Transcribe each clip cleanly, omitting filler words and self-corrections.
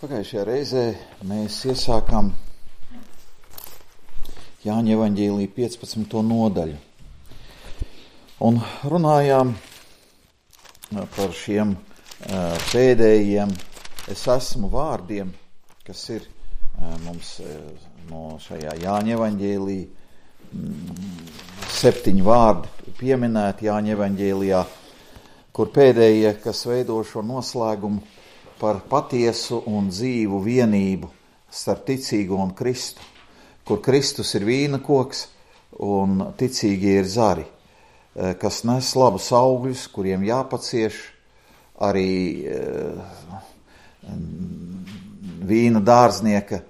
Pagājušajā reizē mēs iesākām Jāņa evaņģēlija 15. nodaļu un runājām par šiem pēdējiem es esmu vārdiem, kas ir mums no šajā Jāņa evaņģēlija 7 vārdi pieminēti Jāņa evaņģēlijā, kur pēdējie, kas veido šo noslēgumu par patiesu un dzīvu vienību starp ticīgo un Kristu, kur Kristus ir vīna koks un ticīgie ir zari, kas nes labus augļus, kuriem jāpacieš arī vīna dārznieka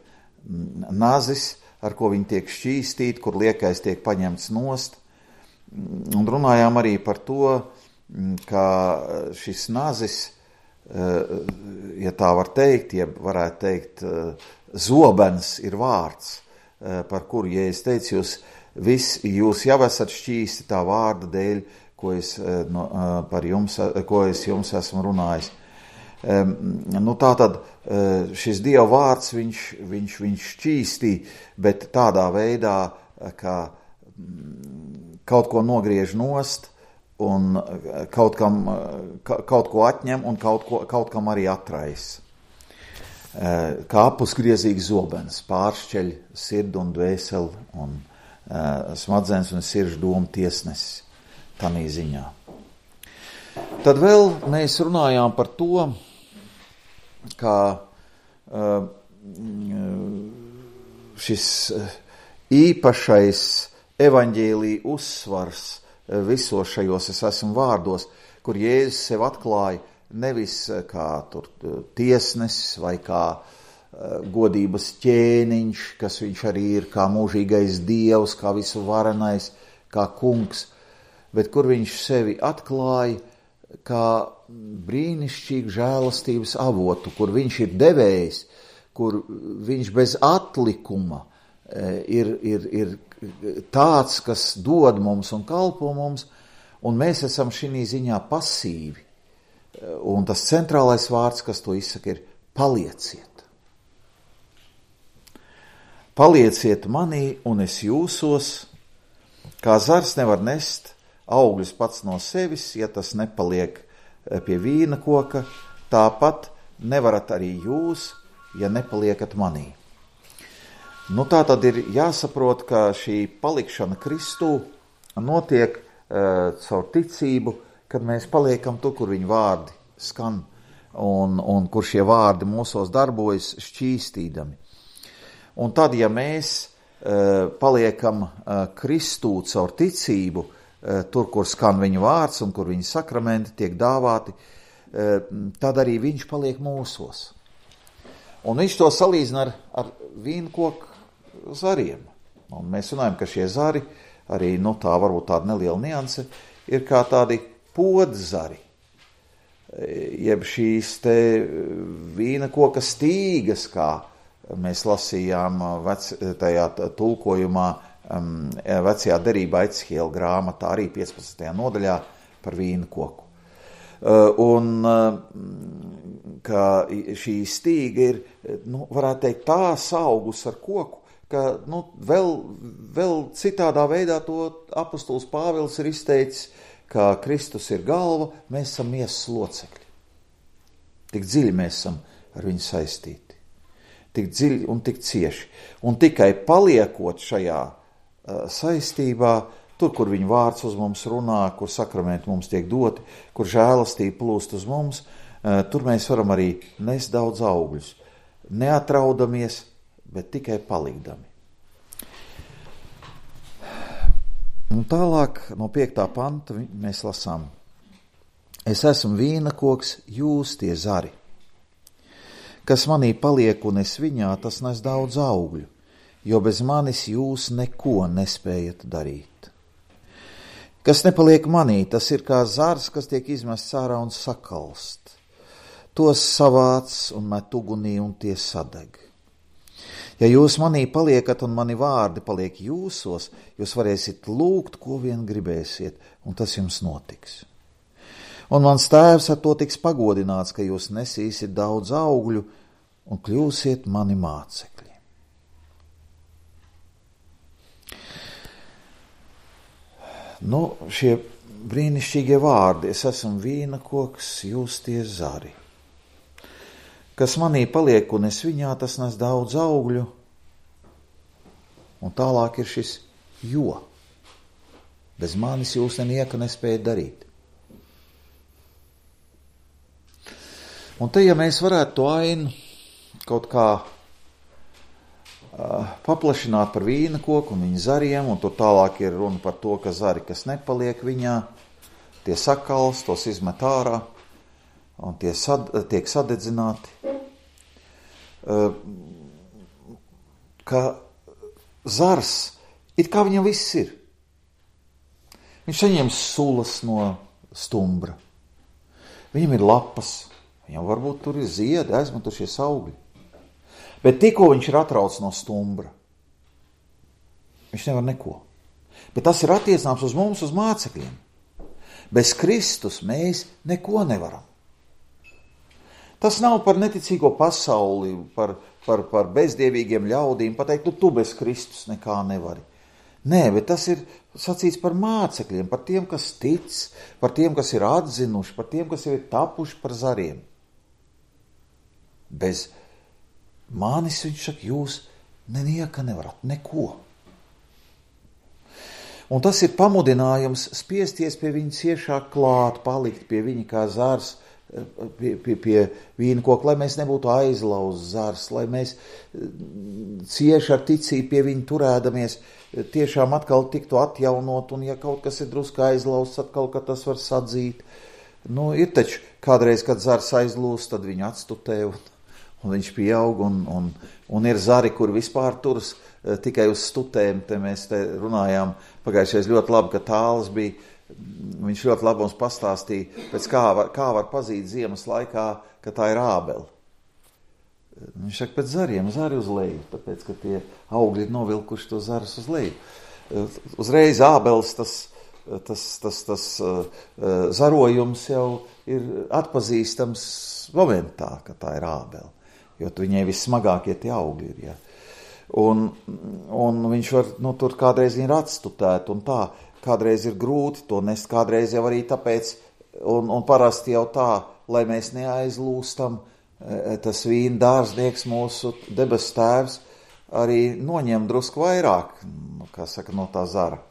nazis, ar ko viņi tiek šķīstīti, kur liekais tiek paņemts nost. Un runājām arī par to, ka šis nazis, ja tā var teikt, ja varētu teikt, zobens ir vārds, par kuru, ja es teicu, jūs jau esat šķīsti tā vārda dēļ, ko es jums esmu runājis. Tātad šis Dieva vārds, viņš šķīstī, bet tādā veidā, ka kaut ko nogriež nost, un kaut ko atņem un kaut kam arī atrais. Kā apusgriezīgs zobens pāršķeļ sirdi un dvēseli un smadzenes un sirdžu domu tiesnesis tanī ziņā. Tad vēl mēs runājām par to, kā šis īpašais evaņģēlija uzsvars visos šajos es esmu vārdos, kur Jēzus sev atklāja nevis kā tiesnesis vai kā godības ķēniņš, kas viņš arī ir, kā mūžīgais Dievs, kā visu varenais, kā kungs, bet kur viņš sevi atklāja kā brīnišķīgu žēlastības avotu, kur viņš ir devējs, kur viņš bez atlikuma ir tāds, kas dod mums un kalpo mums, un mēs esam šī ziņā pasīvi. Un tas centrālais vārds, kas to izsaka, ir palieciet. Palieciet manī, un es jūsos, kā zars nevar nest augļus pats no sevis, ja tas nepaliek pie vīna koka, tāpat nevarat arī jūs, ja nepaliekat manī. Tā tad ir jāsaprot, ka šī palikšana Kristū notiek caur ticību, kad mēs paliekam tur, kur viņa vārdi skan un kur šie vārdi mūsos darbojas šķīstīdami. Un tad, ja mēs paliekam Kristū caur ticību, tur, kur skan viņa vārds un kur viņa sakramenti tiek dāvāti, tad arī viņš paliek mūsos. Un viņš to salīdzina ar vīnkoku zariem. Un mēs runājam, ka šie zari, arī tā varbūt tāda neliela nianse, ir kā tādi podzari, jeb šīs te vīna koka stīgas, kā mēs lasījām tajā tulkojumā vecajā derībā Ecihiela grāmatā, arī 15. nodaļā par vīna koku. Un ka šī stīga ir, varētu teikt, tā saugus ar koku, ka vēl citādā veidā to apostols Pāvils ir izteicis, ka Kristus ir galva, mēs esam miesas locekļi. Tik dziļi mēs esam ar viņu saistīti. Tik dziļi un tik cieši. Un tikai paliekot šajā saistībā, tur, kur viņa vārds uz mums runā, kur sakramenti mums tiek doti, kur žēlastība plūst uz mums, tur mēs varam arī nest daudz augļus. Neatraudamies, bet tikai palikdami. Un tālāk no 5. panta mēs lasām. Es esmu vīna koks, jūs tie zari. Kas manī paliek un es viņā, tas nes daudz augļu, jo bez manis jūs neko nespējat darīt. Kas nepaliek manī, tas ir kā zars, kas tiek izmests ārā un sakalst. Tos savāc un met ugunī un tie sadeg. Ja jūs manī paliekat un mani vārdi paliek jūsos, jūs varēsiet lūgt, ko vien gribēsiet, un tas jums notiks. Un mans tēvs ar to tiks pagodināts, ka jūs nesīsiet daudz augļu, un kļūsiet mani mācekļi. Nu, šie brīnišķīgie vārdi, es esmu vīna koks, jūs tie zari. Kas manī paliek un es viņā, tas nes daudz augļu, un tālāk ir šis jo. Bez manis jūs nenieka nespējat darīt. Un te, ja mēs varētu to ainu kaut kā paplašināt par vīna koku un viņa zariem, un tur tālāk ir runa par to, ka zari, kas nepaliek viņā, tie sakals, tos izmet ārā, un tie tiek sadedzināti. Ka zars, it kā viņam viss ir. Viņš saņem sulas no stumbra. Viņam ir lapas, viņam varbūt tur ir ziedi, aizmetušies augļi. Bet tikko viņš ir atrauc no stumbra, viņš nevar neko. Bet tas ir attiecināms uz mums, uz mācekļiem. Bez Kristus mēs neko nevaram. Tas nav par neticīgo pasauli, par bezdievīgiem ļaudīm, pateikt, tu bez Kristus nekā nevari. Nē, bet tas ir sacīts par mācekļiem, par tiem, kas tic, par tiem, kas ir atzinuši, par tiem, kas ir tapuši par zariem. Bez manis, viņš saka, jūs nenieka nevarat, neko. Un tas ir pamudinājums spiesties pie viņa ciešāk klāt, palikt pie viņa kā zars, pie vīna koka, lai mēs nebūtu aizlauz zars, lai mēs cieši ar ticību pie viņa turēdamies, tiešām atkal tiktu atjaunot, un ja kaut kas ir drusku aizlauzts, atkal, ka tas var sadzīt. Nu, ir taču kādreiz, kad zars aizlūst, tad viņu atstutē, un viņš pieaug, un ir zari, kur vispār turas tikai uz stutēm. Te mēs te runājām pagājušais ļoti labi, ka tāls bija, viņš ļoti labi mums pastāstīja, pēc kā var pazīt ziemas laikā, ka tā ir ābele. Viņš saka, pēc zariem, zari uz leju, tāpēc, ka tie augļi ir novilkuši to zarus uz leju. Uzreiz ābeles tas zarojums jau ir atpazīstams momentā, ka tā ir ābele. Jo viņai vissmagākie tie augļi ir, ja. Un viņš var, tur kādreiz ir atstutēt, un tā, kādreiz ir grūti to nest, kādreiz jau arī tāpēc, un parasti jau tā, lai mēs neaizlūstam, tas vīna dārznieks, mūsu debesu tēvs, arī noņem drusku vairāk, kā saka, no tā zara.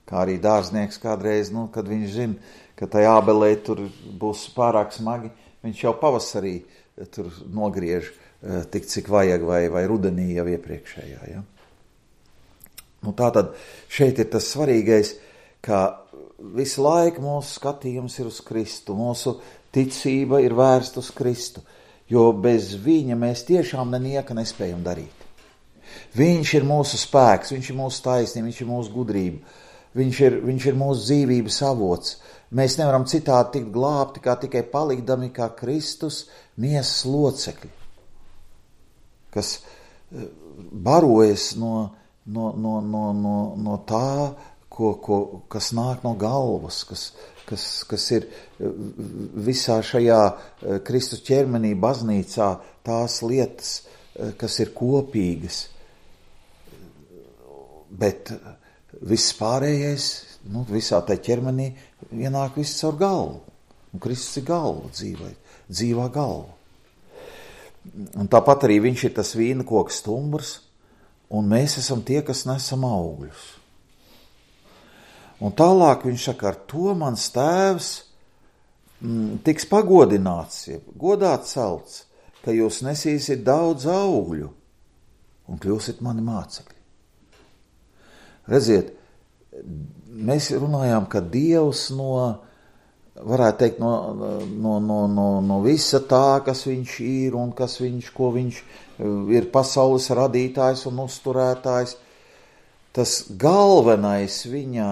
Kā arī dārznieks kādreiz, kad viņš zina, ka tai ābelē tur būs pārāk smagi, viņš jau pavasarī tur nogriež tik, cik vajag, vai rudenī jau iepriekšējā. Ja? Tātad šeit ir tas svarīgais, ka visu laiku mūsu skatījums ir uz Kristu, mūsu ticība ir vērsta uz Kristu, jo bez viņa mēs tiešām nenieka nespējam darīt. Viņš ir mūsu spēks, viņš ir mūsu taisnība, viņš ir mūsu gudrība, viņš ir mūsu dzīvības avots. Mēs nevaram citādi tikt glābti, kā tikai palikdami kā Kristus miesas locekļi, kas barojas no tā, kas nāk no galvas, kas ir visā šajā Kristus ķermenī, baznīcā, tās lietas, kas ir kopīgas. Bet viss pārējais, visā tai ķermenī ienāk viss caur galvu. Un Kristus ir galva, dzīvā galva. Un tāpat arī viņš ir tas vīna koks stumbrs, un mēs esam tie, kas nesam augļus. Un tālāk viņš saka, ar to mans tēvs tiks pagodināts, godā celts, ka jūs nesīsiet daudz augļu un kļūsiet mani mācekļi. Redziet, mēs runājām, ka Dievs varētu teikt, no visa tā, kas viņš ir un ko viņš ir pasaules radītājs un uzturētājs, tas galvenais viņa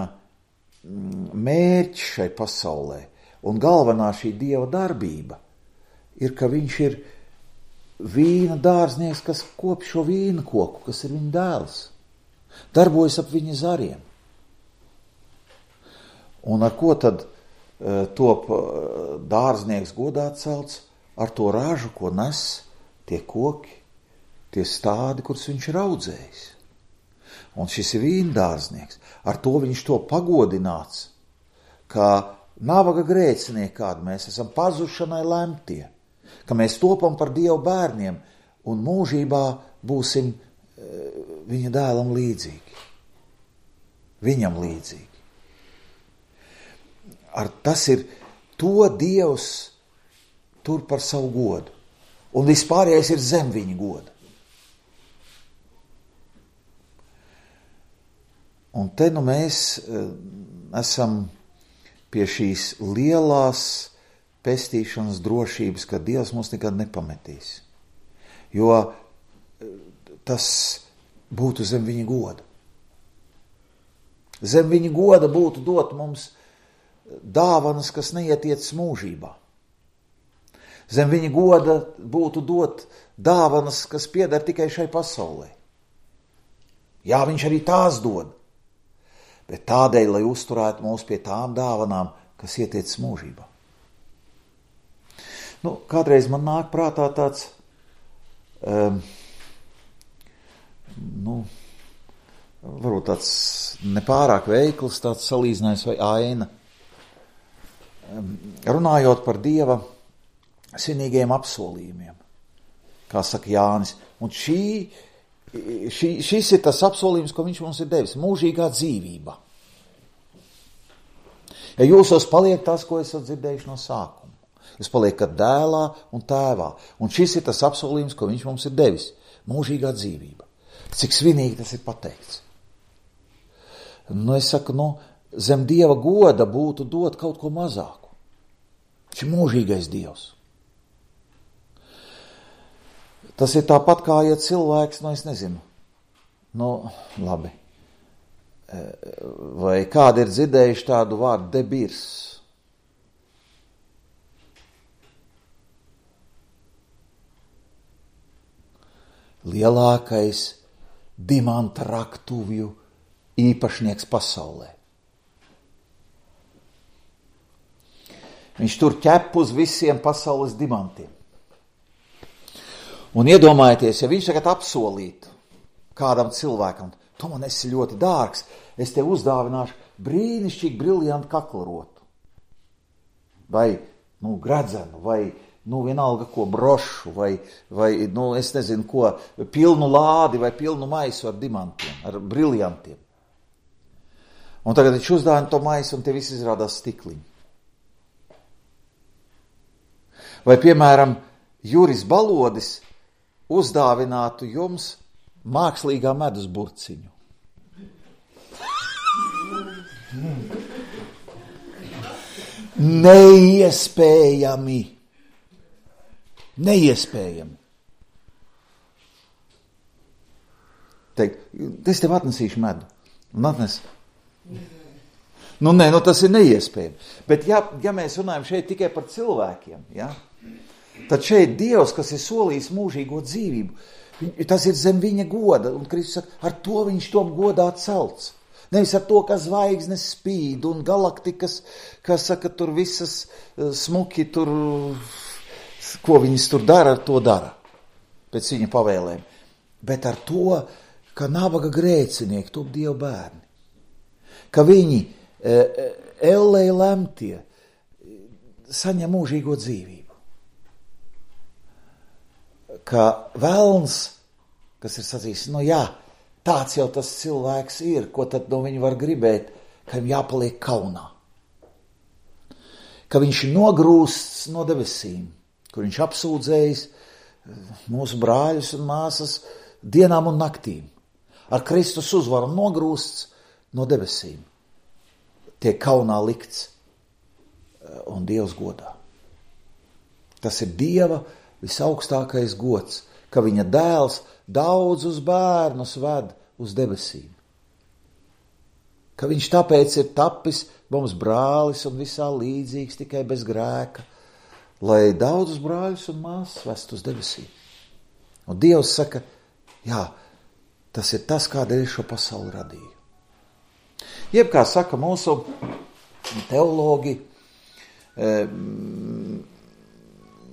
mērķis šai pasaulē un galvenā šī Dieva darbība ir, ka viņš ir vīna dārznieks, kas kop šo vīna koku, kas ir viņa dēls, darbojas ap viņa zariem. Un ar ko tad top dārznieks godā celts? Ar to ražu, ko nes tie koki, tie stádi, kurus viņš ir audzējis. Un šis ir vīndārznieks. Ar to viņš to pagodināts, ka nabaga grēcinieki, kādi mēs esam, pazušanai lemtie, ka mēs topam par Dievu bērniem un mūžībā būsim viņa dēlam līdzīgi. Viņam līdzīgi. Tas ir to Dievs tur par savu godu. Un vispārējais ir zem viņa goda. Un te nu mēs esam pie šīs lielās pestīšanas drošības, ka Dievs mūs nekad nepametīs. Jo tas būtu zem viņa goda. Zem viņa goda būtu dot mums dāvanas, kas neietiec mūžībā. Zem viņa goda būtu dot dāvanas, kas pieder tikai šai pasaulē. Jā, viņš arī tās dod, bet tādēļ, lai uzturētu mūs pie tām dāvanām, kas ietiec mūžībā. Kādreiz man nāk prātā tāds, varbūt tāds nepārāk veikls, tāds salīdzinājums vai aina. Runājot par Dieva svinīgajiem apsolījumiem, kā saka Jānis. Un šis ir tas apsolījums, ko viņš mums ir devis, mūžīgā dzīvība. Ja jūsos paliek tas, ko esat dzirdējuši no sākuma, jūs paliekat dēlā un tēvā. Un šis ir tas apsolījums, ko viņš mums ir devis, mūžīgā dzīvība. Cik svinīgi tas ir pateikts. Es saku, zem Dieva goda būtu dot kaut ko mazāku. Viņš ir mūžīgais Dievs. Tas ir tāpat kā, ja cilvēks, es nezinu, labi, vai kādi ir dzirdējuši tādu vārdu debirs? Lielākais dimanta raktuvju īpašnieks pasaulē. Viņš tur ķep uz visiem pasaules dimantiem. Un iedomājieties, ja viņš tagad apsolītu kādam cilvēkam, tu man esi ļoti dārgs, es tev uzdāvināšu brīnišķīgi briljantu kaklarotu. Vai, gredzenu, vai, vienalga ko brošu, vai, es nezinu ko, pilnu lādi vai pilnu maisu ar dimantiem, ar briljantiem. Un tagad viņš uzdāvina to maisu un te viss izrādās stikliņi. Vai, piemēram, Juris Balodis uzdāvinātu jums mākslīgā medus burciņu. Neiespējami. Teikt, es tev atnesīšu medu. Un atnes. Tas ir neiespējami. Bet ja mēs runājam šeit tikai par cilvēkiem, tad šeit Dievs, kas ir solījis mūžīgo dzīvību, tas ir zem viņa goda, un Kristus saka, ar to viņš top godā celts. Nevis ar to, ka zvaigznes spīd un galaktikas, kas saka, tur visas smuki, tur, ko viņas tur dara, to dara, pēc viņa pavēlēm. Bet ar to, ka nabaga grēcinieki top Dieva bērni, ka viņi ellē lemtie saņem mūžīgo dzīvību. Ka velns, kas ir sacījis, tāds jau tas cilvēks ir, ko tad no viņa var gribēt, ka viņam jāpaliek kaunā. Ka viņš nogrūsts no debesīm, kur viņš apsūdzējis mūsu brāļus un māsas dienām un naktīm. Ar Kristus uzvaru nogrūsts no debesīm. Tiek kaunā likts un Dievs godā. Tas ir Dieva visaugstākais gods, ka viņa dēls daudzus bērnus ved uz debesīm. Ka viņš tāpēc ir tapis mums brālis un visā līdzīgs, tikai bez grēka, lai daudzus brāļus un māsas vest uz debesīm. Un Dievs saka, tas ir tas, kādēļ šo pasauli radīju. Jeb, kā saka mūsu teologi,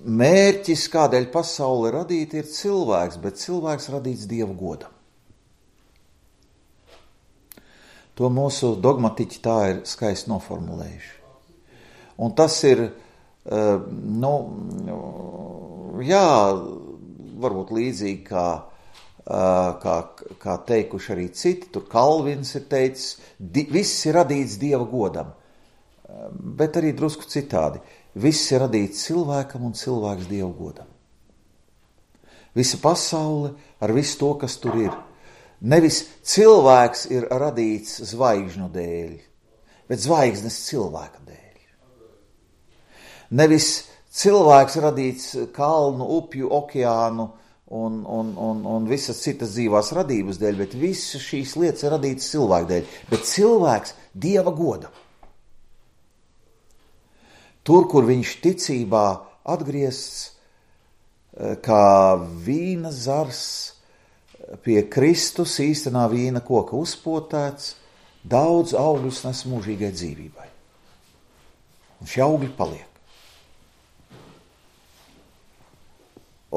mērķis, kādēļ pasaule radīta, ir cilvēks, bet cilvēks radīts Dieva godam. To mūsu dogmatiķi tā ir skaisti noformulējuši. Un tas ir, varbūt līdzīgi kā teikuši arī citi, tur Kalvins ir teicis, viss ir radīts Dieva godam, bet arī drusku citādi. Viss ir radīts cilvēkam un cilvēks Dieva godam. Visa pasaule ar visu to, kas tur ir. Nevis cilvēks ir radīts zvaigžņu dēļ, bet zvaigznes cilvēka dēļ. Nevis cilvēks radīts kalnu, upju, okeānu un visas citas dzīvās radības dēļ, bet visas šīs lietas ir radītas cilvēka dēļ. Bet cilvēks Dieva godam. Tur, kur viņš ticībā atgriezts, kā vīna zars pie Kristus īstenā vīna koka uzpotēts, daudz augļus nes mūžīgai dzīvībai. Un šie augļi paliek.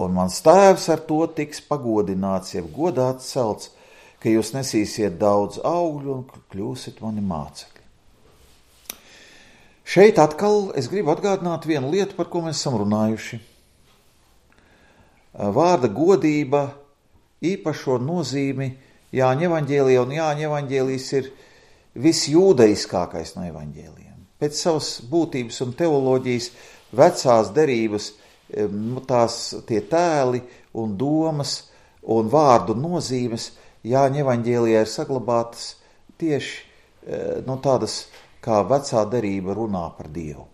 Un mans tēvs ar to tiks pagodināts, jeb godāts celts, ka jūs nesīsiet daudz augļu un kļūsiet mani mācekļi. Šeit atkal es gribu atgādināt vienu lietu, par ko mēs esam runājuši. Vārda godība īpašo nozīmi Jāņa evaņģēlijā, un Jāņa evaņģēlijs ir visjūdeiskākais no evaņģēlijiem. Pēc savas būtības un teoloģijas vecās derības tie tēli un domas un vārdu nozīmes Jāņa evaņģēlijā ir saglabātas tieši tādas, kā vecā derība runā par Dievu.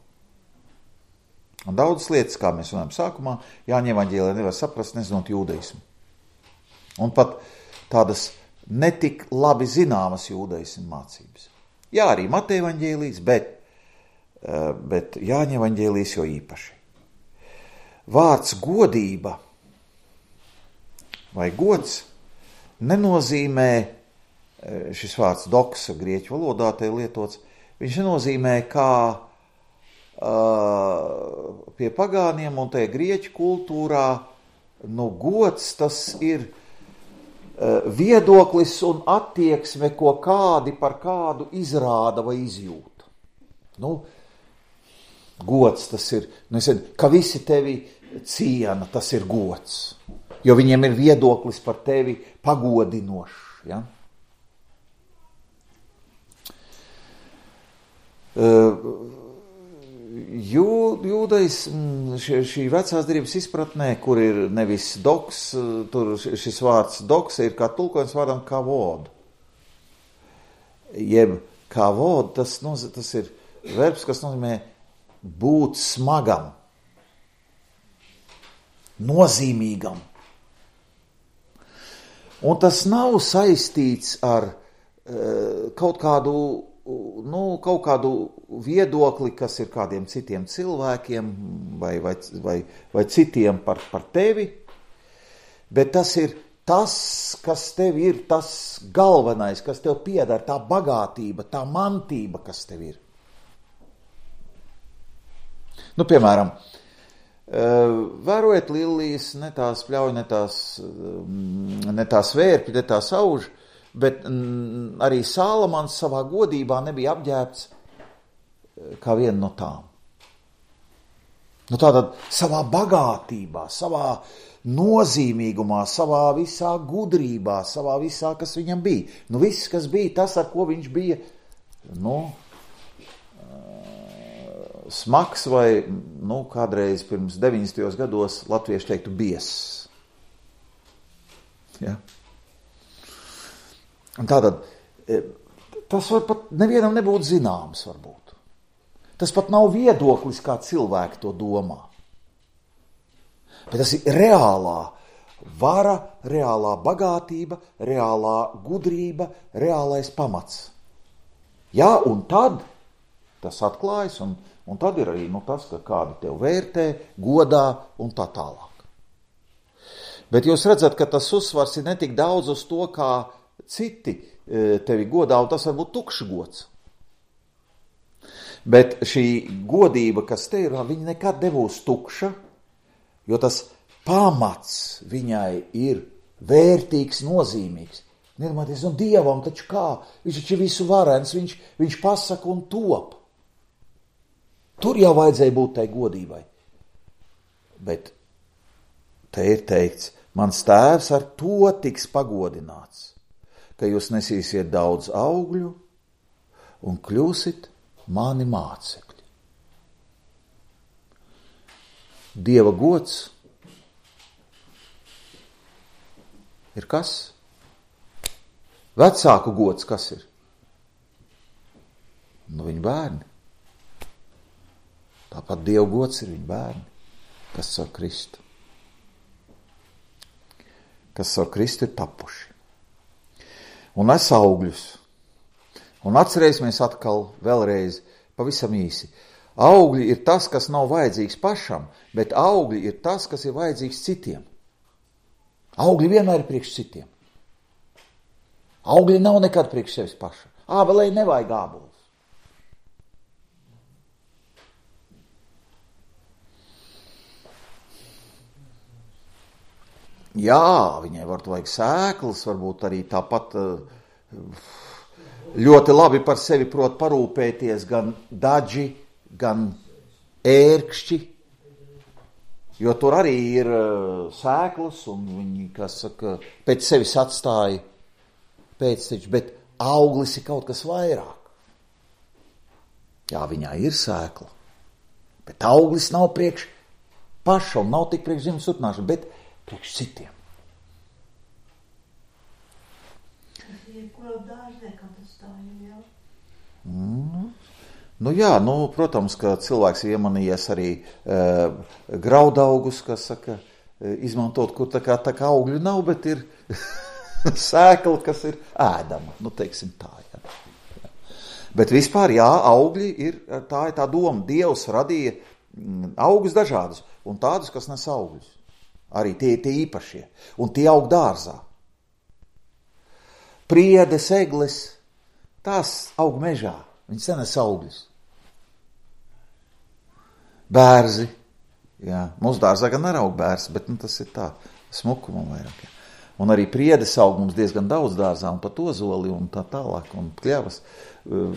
Un daudzas lietas, kā mēs runājam sākumā, Jāņa evaņģēlijā nevar saprast, nezinot jūdeismu. Un pat tādas netik labi zināmas jūdeismu mācības. Jā, arī Mateja evaņģēlijs, bet Jāņa evaņģēlijs jo īpaši. Vārds godība vai gods nenozīmē, šis vārds doksa grieķu valodā te lietots, viņš nenozīmē kā pie pagāniem un tajā grieķu kultūrā, gods tas ir viedoklis un attieksme, ko kādi par kādu izrāda vai izjūta. Gods tas ir, ka visi tevi ciena, tas ir gods, jo viņiem ir viedoklis par tevi pagodinošs, ja? Jūdais šī vecās derības izpratnē, kur ir nevis doks, tur šis vārds doks ir kā tulkojums vārdam kavod. Jeb kavod, tas ir verbs, kas nozīmē būt smagam, nozīmīgam. Un tas nav saistīts ar kaut kādu viedokli, kas ir kādiem citiem cilvēkiem vai citiem par tevi, bet tas ir tas, kas tev ir, tas galvenais, kas tev pieder, tā bagātība, tā mantība, kas tev ir. Piemēram, vērojiet lilijas, ne tās pļauj, ne tās vērpi, ne tās auž, bet arī Sālamans savā godībā nebija apģērbts kā viena no tām. Tātad savā bagātībā, savā nozīmīgumā, savā visā gudrībā, savā visā, kas viņam bija. Viss, kas bija tas, ar ko viņš bija, smags vai, kādreiz pirms 90. gados latvieši teiktu biess. Ja? Un tātad, tas var pat nevienam nebūt zināms, varbūt. Tas pat nav viedoklis, kā cilvēki to domā. Bet tas ir reālā vara, reālā bagātība, reālā gudrība, reālais pamats. Jā, un tad tas atklājas, un tad ir arī tas, ka kādi tev vērtē, godā un tā tālāk. Bet jūs redzat, ka tas uzsvars ir netik daudz uz to, kā citi tevi godā, un tas var būt tukšs gods. Bet šī godība, kas te ir, viņa nekad nebūs tukša, jo tas pamats viņai ir vērtīgs, nozīmīgs. Nedomāties, un Dievam taču kā? Viņš taču ir visu varens, viņš pasaka un top. Tur jau vajadzēja būt tai godībai. Bet te ir teikts, mans tēvs ar to tiks pagodināts, ka jūs nesīsiet daudz augļu un kļūsit mani mācekļi. Dieva gods ir kas? Vecāku gods kas ir? Viņa bērni. Tāpat Dieva gods ir viņa bērni, kas ar Kristu. Kas ar Kristu ir tapuši. Un nes augļus. Un atcerēsimies atkal vēlreiz pavisam īsi. Augļi ir tas, kas nav vajadzīgs pašam, bet augļi ir tas, kas ir vajadzīgs citiem. Augļi vienmēr ir priekš citiem. Augļi nav nekad priekš sevis paša. Ābelei nevajag ābolus. Jā, viņai vajag sēklas, varbūt arī tāpat ļoti labi par sevi prot parūpēties gan daži, gan ērkšķi, jo tur arī ir sēklas un viņi, kas saka, pēc sevis atstāja pēcteči, bet auglis ir kaut kas vairāk. Jā, viņā ir sēkla, bet auglis nav priekš paša un nav tik priekš zemes turpināšana, bet priekš citiem. Nu jā, protams, ka cilvēks ir iemanījies arī graudaugus, kas saka, izmantot, kur tā kā augļu nav, bet ir sēkla, kas ir ēdama, teiksim tā, jā. Bet vispār, jā, augļi ir, tā ir tā doma, Dievs radīja augus dažādus, un tādus, kas nes augļus. Arī tie īpašie, un tie aug dārzā. Priedes, egles, tās aug mežā, viņas nenes augļus. Bērzi, jā, mūsu dārzā gan neraug bērzi, bet tas ir tā, smukumam vairāk. Jā. Un arī priedes aug mums diezgan daudz dārzā, un pat ozoli un tā tālāk, un kļavas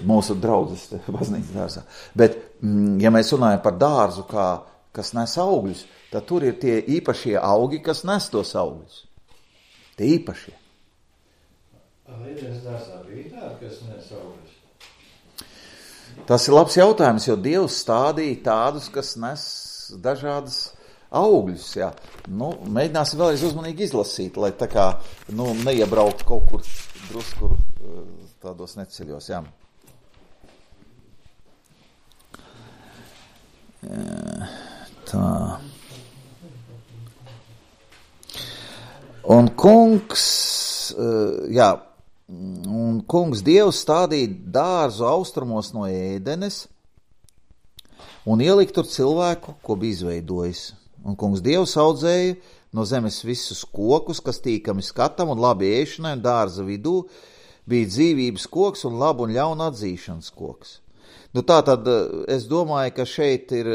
mūsu draudzes baznīcas dārzā. Bet, ja mēs runājam par dārzu, kas nes augļus, tad tur ir tie īpašie augi, kas nes tos augļus. Tie īpašie. Līdens dārzā bija tādi, kas nes augļus? Tas ir labs jautājums, jo Dievs stādīja tādus, kas nes dažādas augļus. Jā. Mēģināsim vēlreiz uzmanīgi izlasīt, lai tā kā neiebraukt kaut kur drusku tādos neceļos. Jā. Tā. Un kungs Dievs stādīja dārzu austrumos no Ēdenes un ielika tur cilvēku, ko bija izveidojis. Un kungs Dievs audzēja no zemes visus kokus, kas tīkami skatam un labi ēšanai, un dārza vidū bija dzīvības koks un labu un ļaunu atzīšanas koks. Tātad es domāju, ka šeit ir,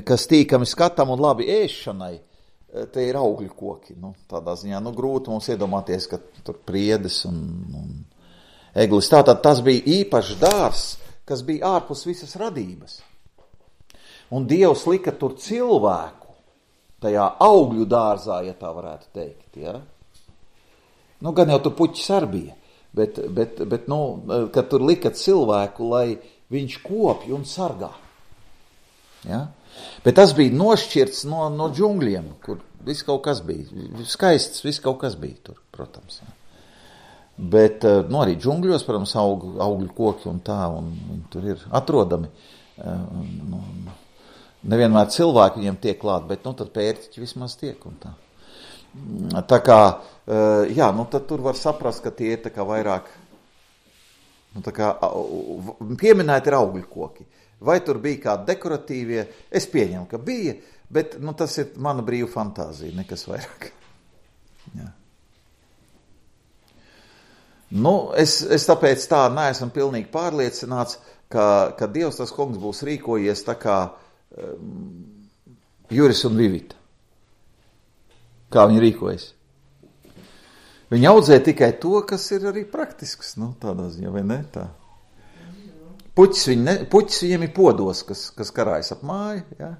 kas tīkami skatam un labi ēšanai, te ir augļu koki. Tādā ziņā, grūti mums iedomāties, ka tur priedes un eglis. Tātad tas bija īpašs dārzs, kas bija ārpus visas radības. Un Dievs lika tur cilvēku, tajā augļu dārzā, ja tā varētu teikt. Ja? Gan jau tur puķis arī bija, bet kad tur lika cilvēku, lai viņš kopj un sargā. Ja? Bet tas bija nošķirts no džungļiem, kur viss kaut kas bija. Skaists, viss kaut kas bija tur, protams. Ja. Bet arī džungļos, protams, augļu koki un tā, un viņi tur ir atrodami. Nevienmēr cilvēki viņiem tiek klāt, bet tad pērtiķi vismaz tiek un tā. Tā kā, jā, tad tur var saprast, ka tie ir tā kā vairāk, tā kā pieminēti ir augļu koki. Vai tur bija kādi dekoratīvie? Es pieņemu, ka bija, bet tas ir mana brīva fantāzija, nekas vairāk. Jā. Es tāpēc tā neesmu pilnīgi pārliecināts, ka Dievs tas kungs būs rīkojies tā kā Juris un Vivita. Kā viņi rīkojas? Viņi audzē tikai to, kas ir arī praktisks, tādā ziņā, vai ne tā? Puķis viņiem ir podos, kas karājas ap māju, jā.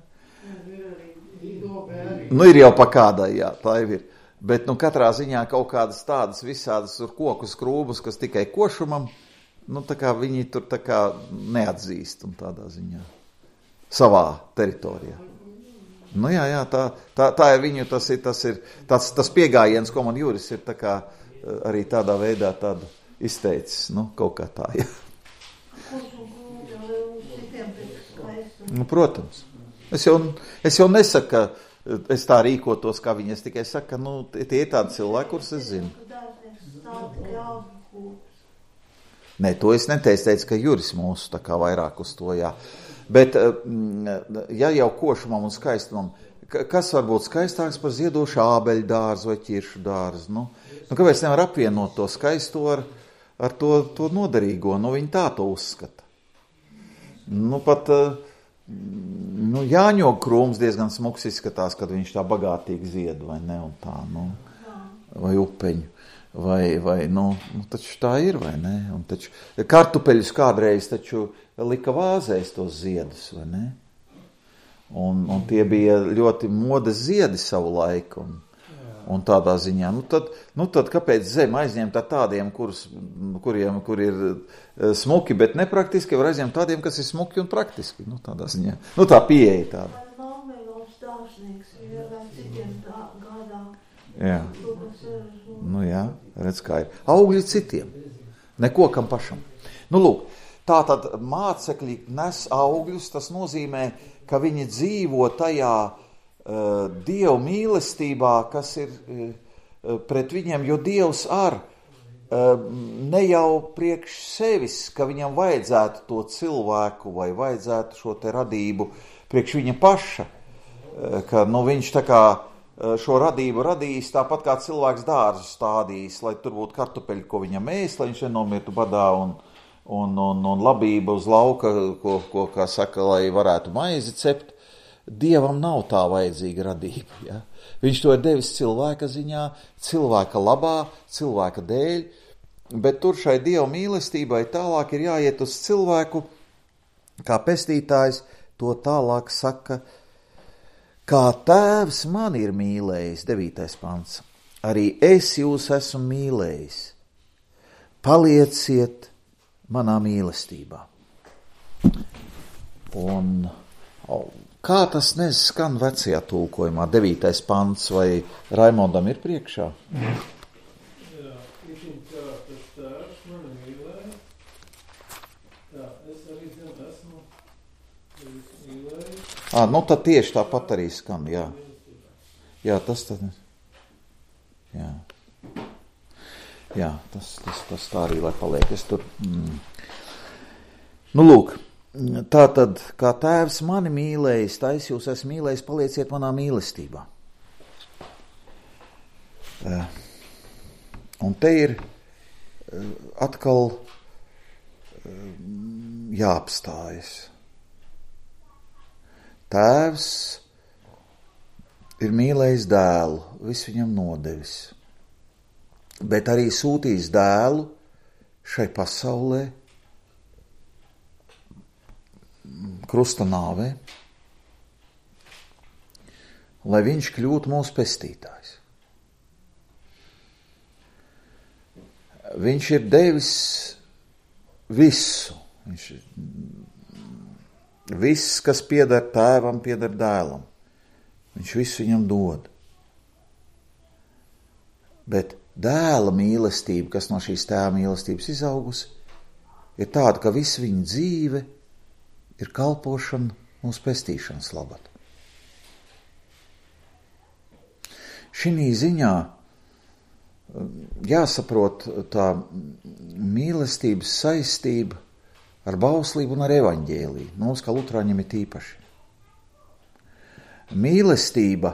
Ir jau pa kādai, jā, tā jau ir. Bet, katrā ziņā kaut kādas tādas visādas kokus krūbus, kas tikai košumam, tā kā viņi tur tā kā neatzīst un tādā ziņā. Savā teritorijā. Jā, tā ir viņu, tas ir tas piegājiens, ko man Juris ir tā kā arī tādā veidā tādu izteicis, kaut kā tā, jā. Protams. Es jau nesaku, ka es tā rīkotos, kā viņi, es tikai saku, ka tie ir tādi cilvēki, kurus es zinu. Nē, to es neteicu, ka Juris mūsu tā kā vairāk uz to, jā. Bet, ja jau košumam un skaistumam, kas var būt skaistāks par ziedošu ābeļu dārzu vai ķiršu dārzu? Kāpēc nevar apvienot to skaisto ar to noderīgo? Viņi tā to uzskata. Pat Jāņoga krūms diezgan smuks izskatās, kad viņš tā bagātīgi zied, vai ne, un tā, vai upeņu. Vai taču tā ir, vai ne? Un taču kartupeļus kādreiz taču lika vāzēs tos ziedus, vai ne? Un tie bija ļoti modes ziedi savu laiku, un tādā ziņā. Tad kāpēc zem aizņemt ar tādiem, kur ir smuki, bet nepraktiski, var aizņemt tādiem, kas ir smuki un praktiski, tādā ziņā. Tā pieeja tāda. Jā. Jā, redz kā ir. Augļi citiem, nekokam pašam. Lūk, tātad mācekļi nes augļus, tas nozīmē, ka viņi dzīvo tajā Dievu mīlestībā, kas ir pret viņiem, jo Dievs ne jau priekš sevis, ka viņam vajadzētu to cilvēku vai vajadzētu šo te radību priekš viņa paša, ka viņš tā kā šo radību radījis tāpat kā cilvēks dārzu stādījis, lai tur būtu kartupeļi, ko viņam ēst, lai viņš nenomirtu badā un labība uz lauka, ko kā saka, lai varētu maizi cept. Dievam nav tā vajadzīga radība. Ja? Viņš to ir devis cilvēka ziņā, cilvēka labā, cilvēka dēļ, bet tur šai Dieva mīlestībai tālāk ir jāiet uz cilvēku, kā pestītājs to tālāk saka, kā tēvs man ir mīlējis, 9. pants, arī es jūs esmu mīlējis. Palieciet manā mīlestībā. Un kā tas neskan vecajā tulkojumā, 9. pants, vai Raimondam ir priekšā? Jā, itin kā tas tēvs mani mīlēja, tā es arī esmu mīlējis. Tad tieši tāpat arī skan, jā. Jā, tas tad, jā. Jā, tas tā arī, lai paliek. Es tur, lūk, tā tad, kā tēvs mani mīlējis, tā es jūs esmu mīlējis, palieciet manā mīlestībā. Un te ir atkal jāapstājas. Tēvs ir mīlējis dēlu, viss viņam nodevis, bet arī sūtījis dēlu šai pasaulē, krusta nāvē, lai viņš kļūtu mūsu pestītājs. Viņš ir devis visu. Viss, kas pieder tēvam, pieder dēlam. Viņš visu viņam dod. Bet dēla mīlestība, kas no šīs tēva mīlestības izaugusi, ir tāda, ka visa viņa dzīve ir kalpošana mūsu pestīšanas labad. Šī ziņā jāsaprot tā mīlestības saistība ar bauslību un ar evaņģēliju. Mums, kā luterāņiem, ir tīpaši. Mīlestība,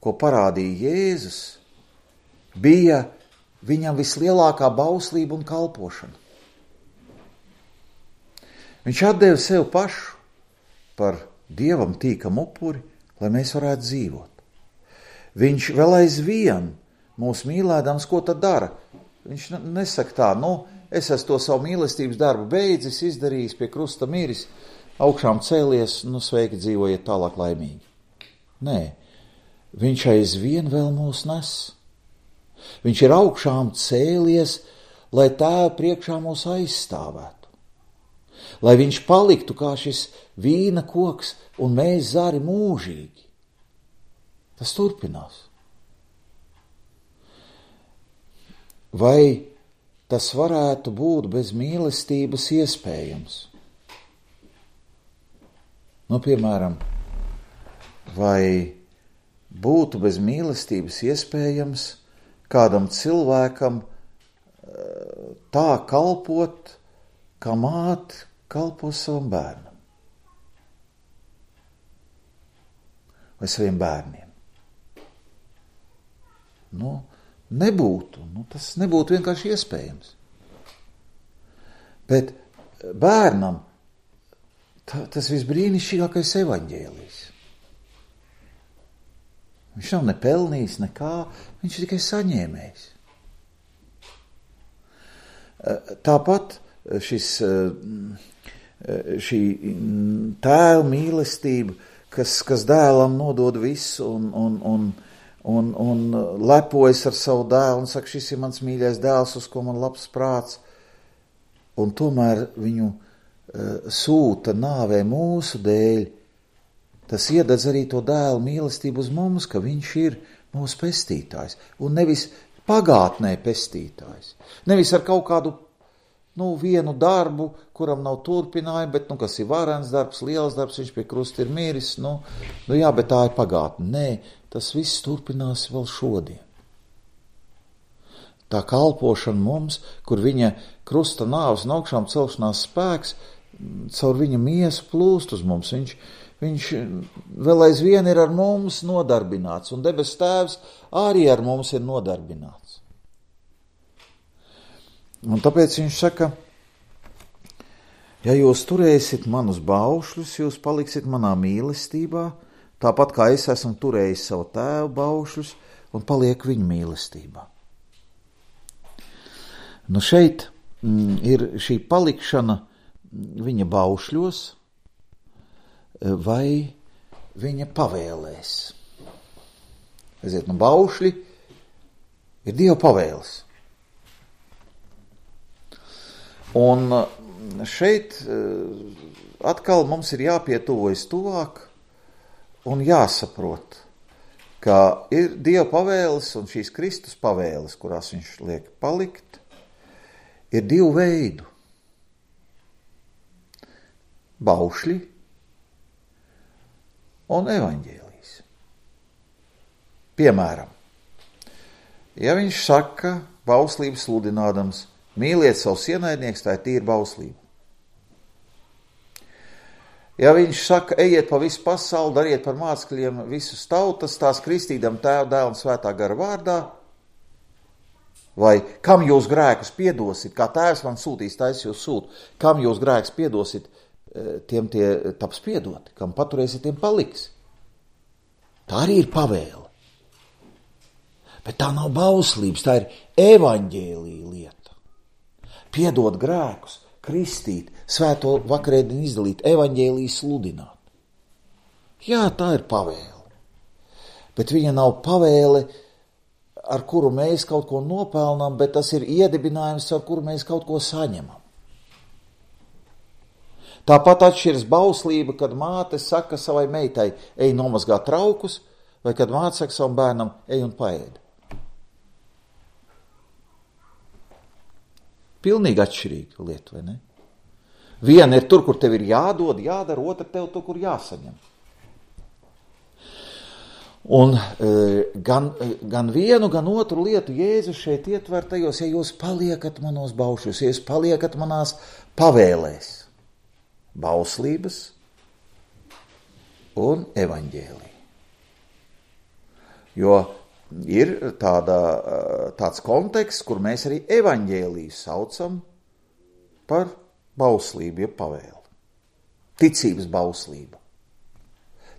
ko parādīja Jēzus, bija viņam vislielākā bauslība un kalpošana. Viņš atdeva sev pašu par Dievam tīkamu upuri, lai mēs varētu dzīvot. Viņš vēl aizvien mūs mīlēdams, ko tad dara? Viņš nesaka tā, es esmu to savu mīlestības darbu beidzis, izdarījis, pie krusta miris, augšām cēlies, sveiki dzīvojiet tālāk laimīgi. Nē, viņš aizvien vēl mūs nes. Viņš ir augšām cēlies, lai Tēva priekšā mūs aizstāvētu. Lai viņš paliktu kā šis vīna koks un mēs zari mūžīgi. Tas turpinās. Vai tas varētu būt bez mīlestības iespējams? Piemēram, vai būtu bez mīlestības iespējams kādam cilvēkam tā kalpot, kā māte kalpo savam bērnam vai saviem bērniem? Nebūtu. Tas nebūtu vienkārši iespējams. Bet bērnam tas visbrīnišķīgākais evaņģēlijs. Viņš nav ne pelnījis nekā, viņš ir tikai saņēmējs. Tāpat šī tēva mīlestība, kas dēlam nodod visu un lepojas ar savu dēlu un saka, šis ir mans mīļais dēls, uz ko man labs prāts, un tomēr viņu sūta nāvē mūsu dēļ, tas iededz arī to dēlu mīlestību uz mums, ka viņš ir mūsu pestītājs, un nevis pagātnē pestītājs. Nevis ar kaut kādu, vienu darbu, kuram nav turpinājumu, bet, kas ir varens darbs, liels darbs, viņš pie krusta ir miris, jā, bet tā ir pagātne. Nē, tas viss turpinās vēl šodien. Tā kalpošana mums, kur viņa krusta nāves un augšām celšanās spēks, caur viņa miesu plūst uz mums. Viņš vēl aizvien ir ar mums nodarbināts, un debes Tēvs arī ar mums ir nodarbināts. Un tāpēc viņš saka, ja jūs turēsiet manus baušļus, jūs paliksiet manā mīlestībā, tāpat kā es esmu turējis savu tēvu baušļus un palieku viņa mīlestībā. Šeit ir šī palikšana viņa baušļos vai viņa pavēlēs. Baušļi ir Dieva pavēles. Un šeit atkal mums ir jāpietuvojas tuvāk un jāsaprot, ka ir Dieva pavēles un šīs Kristus pavēles, kurās viņš liek palikt, ir divu veidu. Baušļi un evaņģēlijs. Piemēram, ja viņš saka, bauslības sludinādams, mīliet savus ienaidniekus, tā ir tīra bauslība. Ja viņš saka, ejiet pa visu pasauli, dariet par mācekļiem visus tautas, tās kristīdam Tēva, Dēla un Svētā gara vārdā, vai kam jūs grēkus piedosit, kā Tēvs man sūtīs, tā es jūs sūtu, kam jūs grēkus piedosit, tiem tie taps piedoti, kam paturēsiet, tiem paliks. Tā arī ir pavēle. Bet tā nav bauslības, tā ir evaņģēlija lieta. Piedot grēkus, kristīt, svēto vakarēdienu izdalīt, evaņģēliju sludināt. Jā, tā ir pavēle. Bet viņa nav pavēle, ar kuru mēs kaut ko nopelnām, bet tas ir iedibinājums, ar kuru mēs kaut ko saņemam. Tāpat atšķiras bauslība, kad māte saka savai meitai, ej nomazgā traukus, vai kad māte saka savam bērnam, ej un paēd. Pilnīgi atšķirīga lieta, vai ne? Viena ir tur, kur tev ir jādod, jādara, otra tev tur, kur jāsaņem. Un gan vienu, gan otru lietu Jēzus šeit ietver tajos, ja jūs paliekat manos baušļos, ja jūs paliekat manās pavēlēs. Bauslības un evaņģēlija. Jo ir tāds konteksts, kur mēs arī evaņģēliju saucam par bauslību, ja pavēli. Ticības bauslība.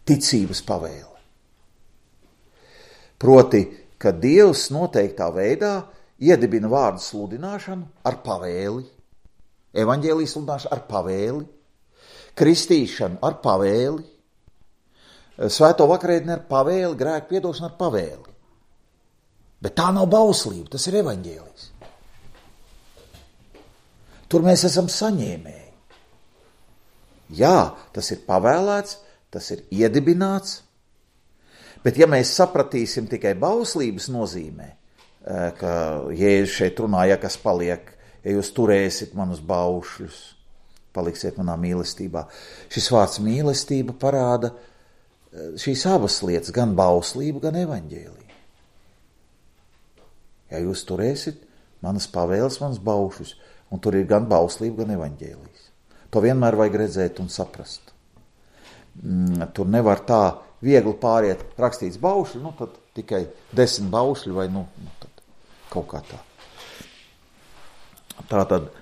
Ticības pavēle. Proti, ka Dievs noteiktā veidā iedibina vārdu sludināšanu ar pavēli, evaņģēlijas sludināšanu ar pavēli, kristīšanu ar pavēli, svēto vakarēdienu ar pavēli, grēku piedošanu ar pavēli. Bet tā nav bauslība, tas ir evaņģēlijs. Tur mēs esam saņēmēji. Jā, tas ir pavēlēts, tas ir iedibināts, bet ja mēs sapratīsim tikai bauslības nozīmē, ka Jēzus šeit runāja, kas paliek, ja jūs turēsit manus baušļus, paliksiet manā mīlestībā. Šis vārds mīlestība parāda šīs abas lietas, gan bauslību, gan evaņģēliju. Ja jūs turēsit manas pavēles, manas baušļus, un tur ir gan bauslība, gan evaņģēlijs. To vienmēr vajag redzēt un saprast. Tur nevar tā viegli pāriet rakstīts baušļi, tad tikai 10 baušļi vai tad kaut kā tā. Tātad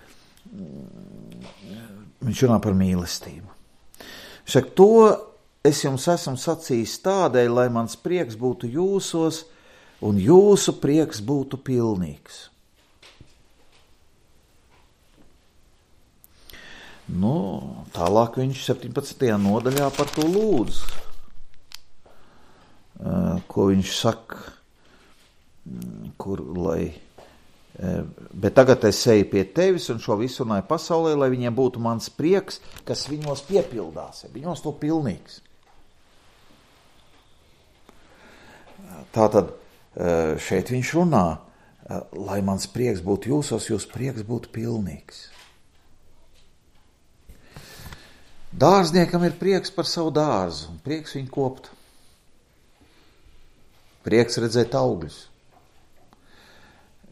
viņš runā par mīlestību. Šak to es jums esmu sacījis tādēļ, lai mans prieks būtu jūsos un jūsu prieks būtu pilnīgs. Tālāk viņš 17. nodaļā par to lūdz. Ko viņš saka, bet tagad es eju pie tevis un šo visu runāju pasaulē, lai viņiem būtu mans prieks, kas viņos piepildās, viņos to pilnīgs. Tātad šeit viņš runā, lai mans prieks būtu jūsos, jūs prieks būtu pilnīgs. Dārzniekam ir prieks par savu dārzu, un prieks viņu kopt. Prieks redzēt augļus.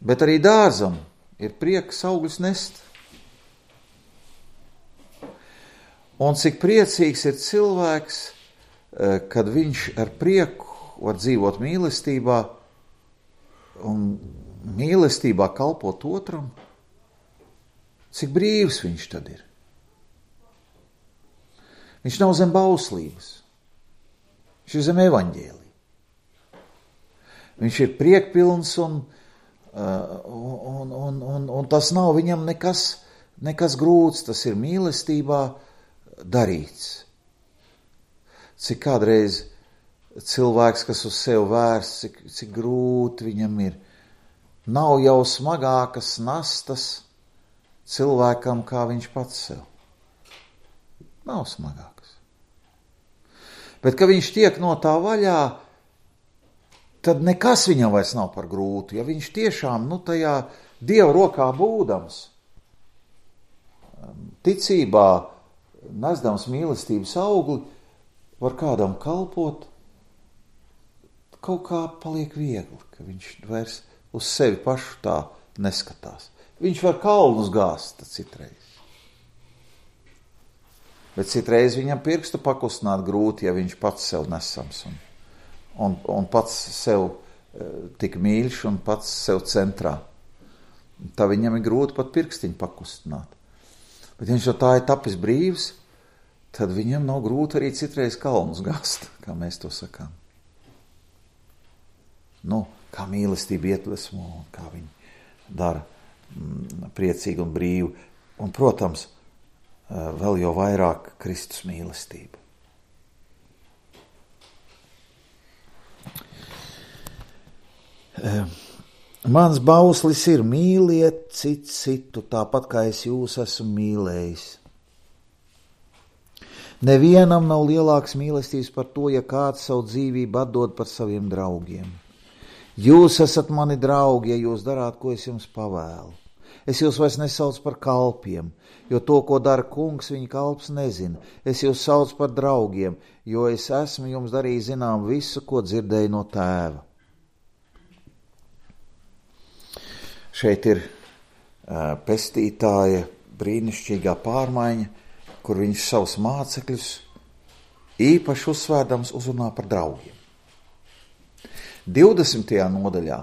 Bet arī dārzam ir prieks augļus nest. Un cik priecīgs ir cilvēks, kad viņš ar prieku var dzīvot mīlestībā un mīlestībā kalpot otram, cik brīvs viņš tad ir. Viņš nav zem bauslības, viņš ir zem evaņģēlija. Viņš ir priekpilns un tas nav viņam nekas grūts, tas ir mīlestībā darīts. Cik kādreiz cilvēks, kas uz sevi vērsts, cik grūti viņam ir. Nav jau smagākas nastas cilvēkam, kā viņš pats sev. Nav smagākas. Bet, kad viņš tiek no tā vaļā, tad nekas viņam vairs nav par grūtu. Ja viņš tiešām, tajā Dieva rokā būdams, ticībā, nesdams mīlestības augli, var kādam kalpot, kaut kā paliek viegli, ka viņš vairs uz sevi pašu tā neskatās. Viņš var kalnus gāzt citreiz. Bet citreiz viņam pirkstu pakustināt grūti, ja viņš pats sev nesams un pats sev tik mīļš un pats sev centrā. Tā viņam ir grūti pat pirkstiņu pakustināt. Bet viņš jau tā ir tapis brīvs, tad viņam nav grūti arī citreiz kalnus gāzt, kā mēs to sakām. Kā mīlestība iedvesmo, kā viņi dara priecīgi un brīvi. Un, protams, vēl jau vairāk Kristus mīlestību. Mans bauslis ir mīliet citu, tāpat kā es jūs esmu mīlējis. Nevienam nav lielāks mīlestības par to, ja kāds savu dzīvību atdod par saviem draugiem. Jūs esat mani draugi, ja jūs darāt, ko es jums pavēlu. Es jūs vairs nesaucu par kalpiem, jo to, ko dara kungs, viņa kalps nezina. Es jūs saucu par draugiem, jo es esmu jums darījis zinām visu, ko dzirdēju no tēva. Šeit ir pestītāja brīnišķīgā pārmaiņa, kur viņš savus mācekļus īpaši uzsvērdams uzrunā par draugiem. 20. nodaļā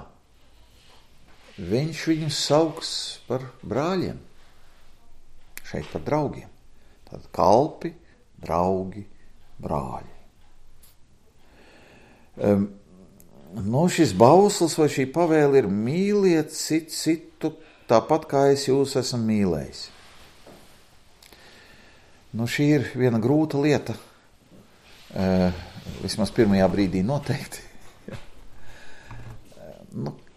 viņš viņus sauks par brāļiem, šeit par draugiem. Tad kalpi, draugi, brāļi. šis bauslis vai šī pavēle ir mīliet citu tāpat, kā es jūs esmu mīlējis. Šī ir viena grūta lieta, vismaz pirmajā brīdī noteikti.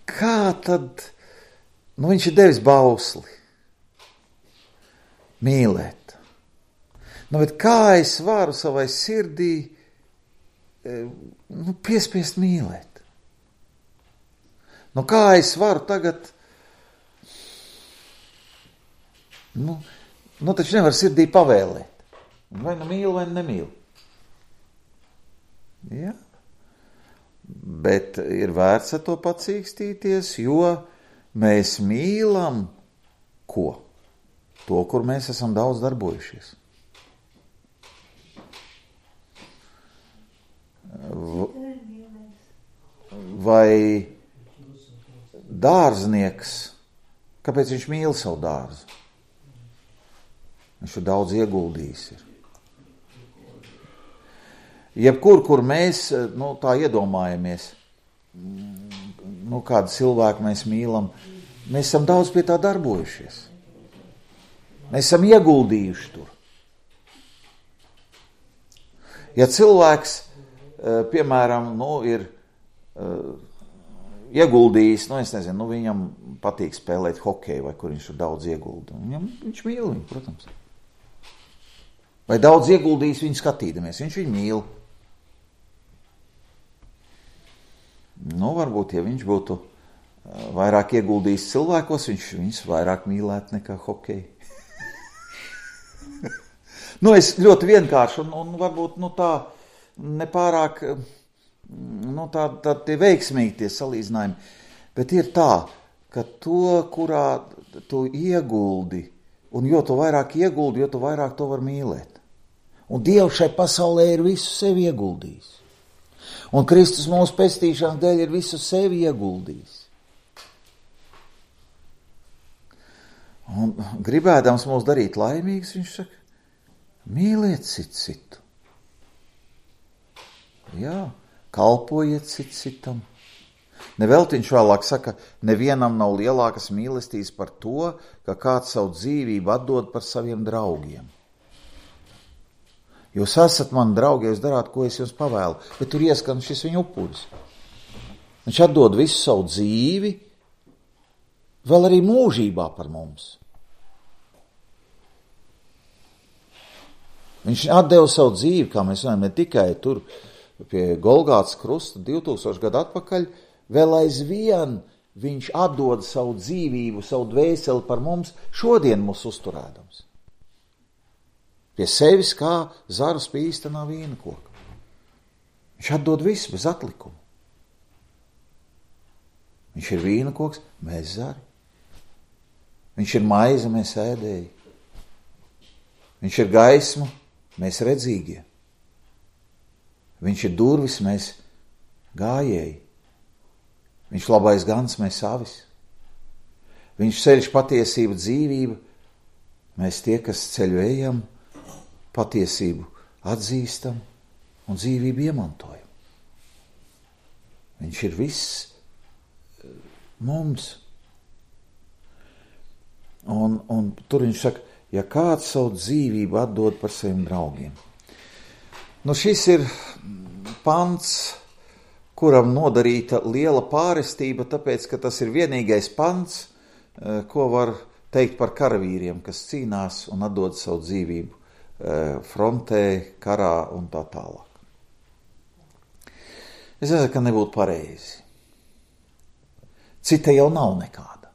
Kā tad, viņš ir devis bausli mīlēt. Bet kā es varu savai sirdī piespiest mīlēt? Kā es varu tagad, taču nevar sirdī pavēlēt. Vai mīlu, vai nemīlu. Ja? Bet ir vērts ar to pacīkstīties, jo mēs mīlam ko? To, kur mēs esam daudz darbojušies. Vai dārznieks, kāpēc viņš mīl savu dārzu? Viņš ir daudz ieguldījis. Jebkur, kur mēs tā iedomājamies, kādu cilvēku mēs mīlam, mēs esam daudz pie tā darbojušies. Mēs esam ieguldījuši tur. Ja cilvēks, piemēram, ir ieguldījis, es nezinu, viņam patīk spēlēt hokeju, vai kur viņš ir daudz ieguldījis. Viņš mīl viņu, protams. Vai daudz ieguldījis viņu skatīdamies, viņš viņu mīl. Varbūt, ja viņš būtu vairāk ieguldījis cilvēkos, viņš viņus vairāk mīlētu nekā hokeju. Es ļoti vienkārši un varbūt tā nepārāk tā tie veiksmīgi tie salīdzinājumi, bet ir tā, ka to, kurā tu ieguldi, un jo tu vairāk ieguldi, jo tu vairāk to var mīlēt. Un Dievs šai pasaulē ir visu sevi ieguldījis. Un Kristus mūsu pestīšanas dēļ ir visu sevi ieguldījis. Un gribēdams mūs darīt laimīgus, viņš saka, mīliet citu. Jā, kalpojiet citam. Nevelti viņš vēlāk saka, nevienam nav lielākas mīlestības par to, ka kāds savu dzīvību atdod par saviem draugiem. Jūs esat mani draugi, jūs darāt, ko es jums pavēlu, bet tur ieskan šis viņa upuris. Viņš atdod visu savu dzīvi, vēl arī mūžībā par mums. Viņš atdeva savu dzīvi, kā mēs runājam, ne tikai tur pie Golgātas krusta 2000 gadu atpakaļ, vēl aizvien viņš atdod savu dzīvību, savu dvēseli par mums, šodien mūs uzturēdams. Pie sevis kā zarus pie īstenā vīna koka. Viņš atdod visu bez atlikuma. Viņš ir vīna koks, mēs zari. Viņš ir maize, mēs ēdēji. Viņš ir gaisma, mēs redzīgie. Viņš ir durvis, mēs gājēji. Viņš labais gans, mēs avis. Viņš ceļš patiesība dzīvība, mēs tie, kas ceļu ejam, patiesību atzīstam un dzīvību iemantojam. Viņš ir viss mums. Un tur viņš saka, ja kāds savu dzīvību atdod par saviem draugiem. Šis ir pants, kuram nodarīta liela pārestība, tāpēc, ka tas ir vienīgais pants, ko var teikt par karavīriem, kas cīnās un atdod savu dzīvību frontē, karā un tā tālāk. Es nezinu, ka nebūtu pareizi. Cita jau nav nekāda.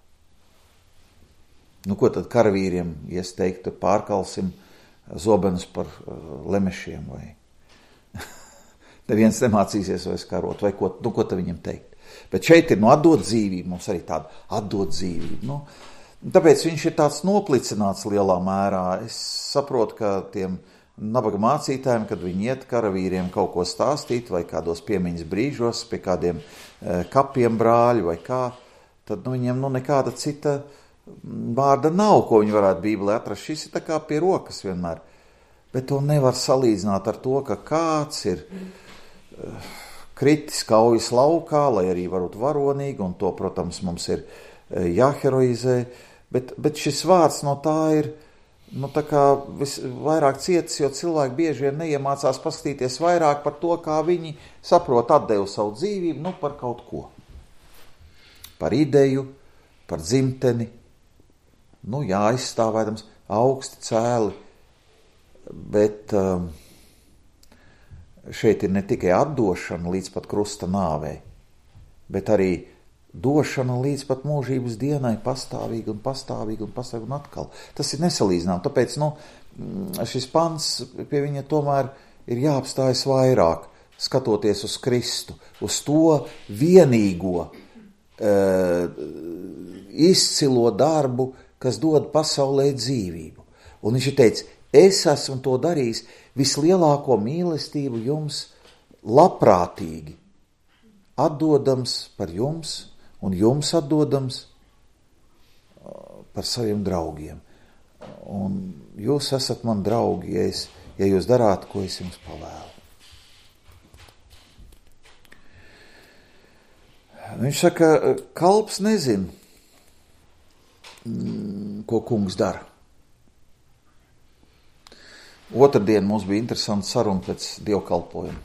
Ko tad karavīriem iesteikt, pārkalsim zobenus par lemešiem vai neviens nemācīsies vairs karot, vai ko tad viņam teikt. Bet šeit ir atdot dzīvību, mums arī tāda atdot dzīvību. Tāpēc viņš ir tāds noplicināts lielā mērā. Es saprotu, ka tiem nabaga mācītājiem, kad viņi iet karavīriem kaut ko stāstīt vai kādos piemiņas brīžos pie kādiem kapiem brāļu vai kā, tad viņiem nekāda cita vārda nav, ko viņi varētu Bībelē atrast. Šis ir tā kā pie rokas vienmēr. Bet to nevar salīdzināt ar to, ka kāds kritis kaujas laukā, lai arī varbūt varonīgi, un to, protams, mums ir jāheroizē, bet šis vārds no tā ir, tā kā vairāk cietis, jo cilvēki bieži vien neiemācās paskatīties vairāk par to, kā viņi saprot atdevu savu dzīvību, par kaut ko. Par ideju, par dzimteni, aizstāvēdams augsti cēli, bet šeit ir ne tikai atdošana līdz pat krusta nāvei, bet arī došana līdz pat mūžības dienai pastāvīgi un atkal. Tas ir nesalīdzinām, tāpēc, šis pants pie viņa tomēr ir jāapstājas vairāk, skatoties uz Kristu, uz to vienīgo izcilo darbu, kas dod pasaulē dzīvību. Un viņš ir teicis, es esmu to darījis vislielāko mīlestību jums labprātīgi, atdodams par jums un jums atdodams par saviem draugiem. Un jūs esat man draugi, ja jūs darāt, ko es jums pavēlu. Viņš saka, kalps nezin, ko kungs dara. Otrdien mums bija interesanta saruna pēc dievkalpojuma.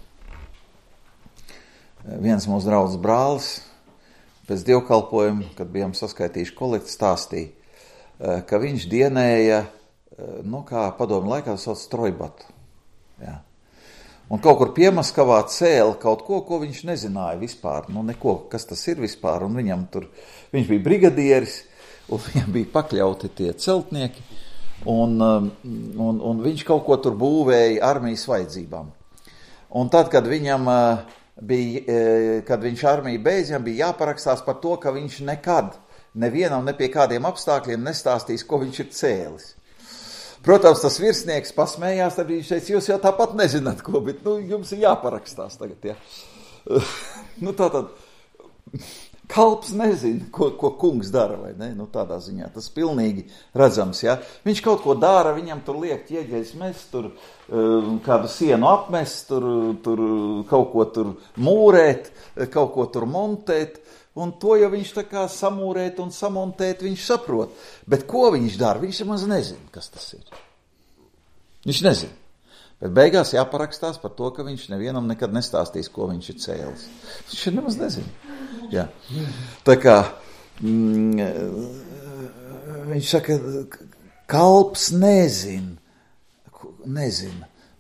Viens mūsu draugs brālis pēc dievkalpojuma, kad bijām saskaitījuši kolekti, stāstīja, ka viņš dienēja, kā padomu laikā sauc strojbatu. Jā. Un kaut kur Piemaskavā cēla kaut ko viņš nezināja vispār, neko, kas tas ir vispār, un viņš bija brigadieris, un viņam bija pakļauti tie celtnieki, un viņš kaut ko tur būvēja armijas vajadzībām. Un tad, kad kad viņš armiju beidz, viņam bija jāparakstās par to, ka viņš nekad, nevienam, ne pie kādiem apstākļiem nestāstīs, ko viņš ir cēlis. Protams, tas virsnieks pasmējās, tad viņš teica, jūs jau tāpat nezināt, ko, bet jums ir jāparakstās tagad, ja. Tātad, kalps nezina, ko kungs dara, vai ne? Tādā ziņā tas pilnīgi redzams, ja. Viņš kaut ko dara, viņam tur liek ķieģeļus mest, tur kādu sienu apmest, tur kaut ko tur mūrēt, kaut ko tur montēt, un to jau viņš tā kā samūrēt un samontēt, viņš saprot. Bet ko viņš dara? Viņš maz nezina, kas tas ir. Viņš nezina. Bet beigās jāparakstās par to, ka viņš nevienam nekad nestāstīs, ko viņš ir cēlis. Viņš nemaz nezina. Jā. Tā kā viņš saka, kalps nezina,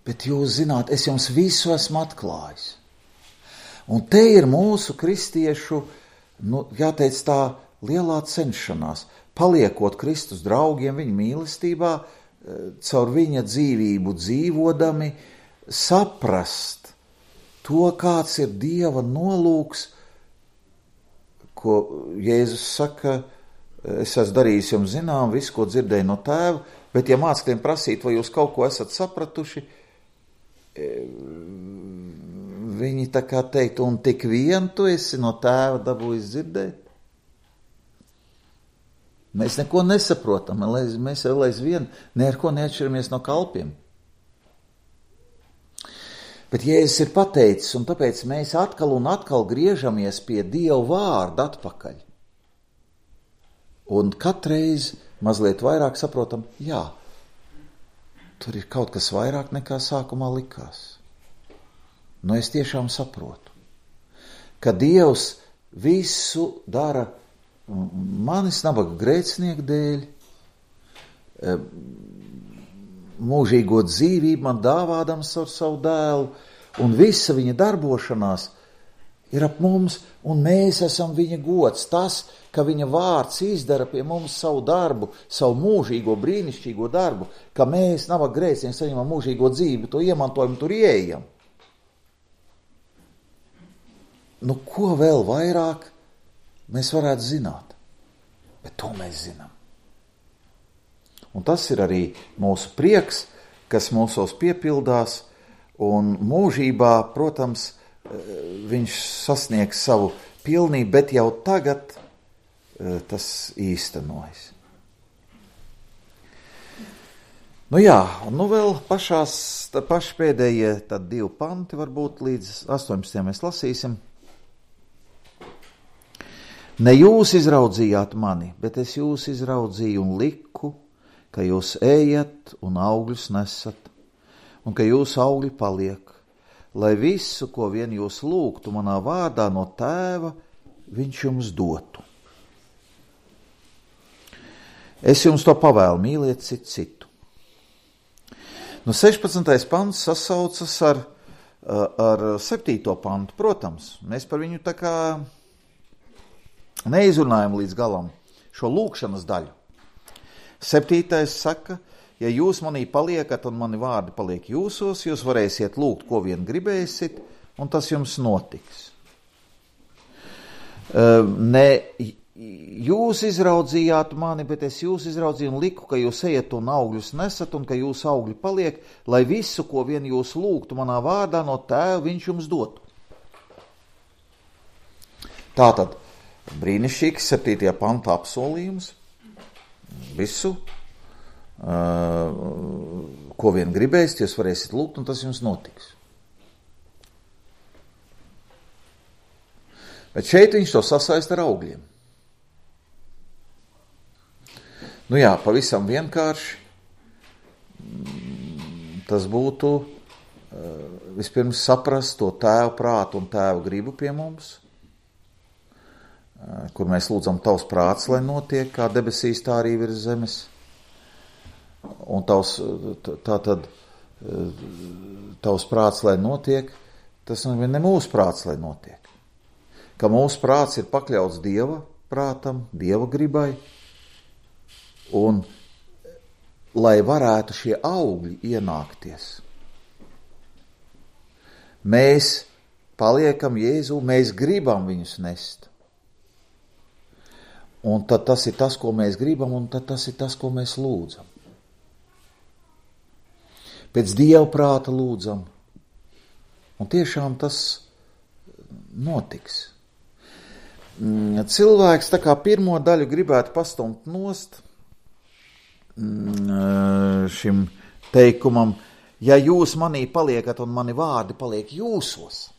bet jūs zināt, es jums visu esmu atklājis. Un te ir mūsu kristiešu, jāteic tā, lielā cenšanās, paliekot Kristus draugiem viņa mīlestībā, caur viņa dzīvību dzīvodami, saprast to, kāds ir Dieva nolūks, ko Jēzus saka, es esmu darījis jums zinām, visu, ko dzirdēju no tēva, bet ja mācekļiem prasīt, vai jūs kaut ko esat sapratuši, viņi tā kā teikt, un tik vien tu esi no tēva dabūjis dzirdēt? Mēs neko nesaprotam, mēs vēl aizvien ar ko neatšķiramies no kalpiem. Bet Jēzus ir pateicis, un tāpēc mēs atkal un atkal griežamies pie Dieva vārda atpakaļ. Un katreiz mazliet vairāk saprotam, jā, tur ir kaut kas vairāk nekā sākumā likās. Es tiešām saprotu, ka Dievs visu dara manis nabaga grēcinieku dēļ, mūžīgo dzīvību man dāvādams ar savu dēlu, un visa viņa darbošanās ir ap mums, un mēs esam viņa gods. Tas, ka viņa vārds izdara pie mums savu darbu, savu mūžīgo, brīnišķīgo darbu, ka mēs nabaga grēcinieki saņemam mūžīgo dzīvi, to iemantojam, tur ieejam. Ko vēl vairāk mēs varētu zināt? Bet to mēs zinām. Un tas ir arī mūsu prieks, kas mūsos piepildās, un mūžībā, protams, viņš sasniegs savu pilnību, bet jau tagad tas īstenojas. Nu jā, un nu vēl paši pēdējie tad 2 panti varbūt līdz 18. mēs lasīsim. Ne jūs izraudzījāt mani, bet es jūs izraudzīju un liku, ka jūs ejat un augļus nesat, un ka jūsu augļi paliek, lai visu, ko vien jūs lūgtu manā vārdā no Tēva, viņš jums dotu. Es jums to pavēlu, mīliet citu. Nu, 16. pants sasaucas ar 7. pantu, protams. Mēs par viņu tā kā neizrunājam līdz galam šo lūkšanas daļu. 7. saka, ja jūs manī paliekat un mani vārdi paliek jūsos, jūs varēsiet lūgt, ko vien gribēsit, un tas jums notiks. Ne jūs izraudzījāt mani, bet es jūs izraudzīju un liku, ka jūs ejat un augļus nesat, un ka jūsu augļi paliek, lai visu, ko vien jūs lūgtu manā vārdā no Tēva, viņš jums dotu. Tātad, brīnišķīgs 7. panta apsolījums. Visu, ko vien gribēsiet, jūs varēsiet lūgt, un tas jums notiks. Bet šeit viņš to sasaista ar augļiem. Nu jā, pavisam vienkārši tas būtu vispirms saprast to Tēva prātu un Tēva gribu pie mums, kur mēs lūdzam tavs prāts, lai notiek, kā debesīs, tā arī virs zemes. Un tavs prāts, lai notiek, tas ne mūsu prāts, lai notiek. Ka mūsu prāts ir pakļauts Dieva prātam, Dieva gribai, un lai varētu šie augļi ienākties. Mēs paliekam Jēzu, mēs gribam viņus nest. Un tad tas ir tas, ko mēs gribam, un tad tas ir tas, ko mēs lūdzam. Pēc Dieva prāta lūdzam. Un tiešām tas notiks. Cilvēks tā kā pirmo daļu gribētu pastumt nost šim teikumam, ja jūs manī paliekat un mani vārdi paliek jūsos.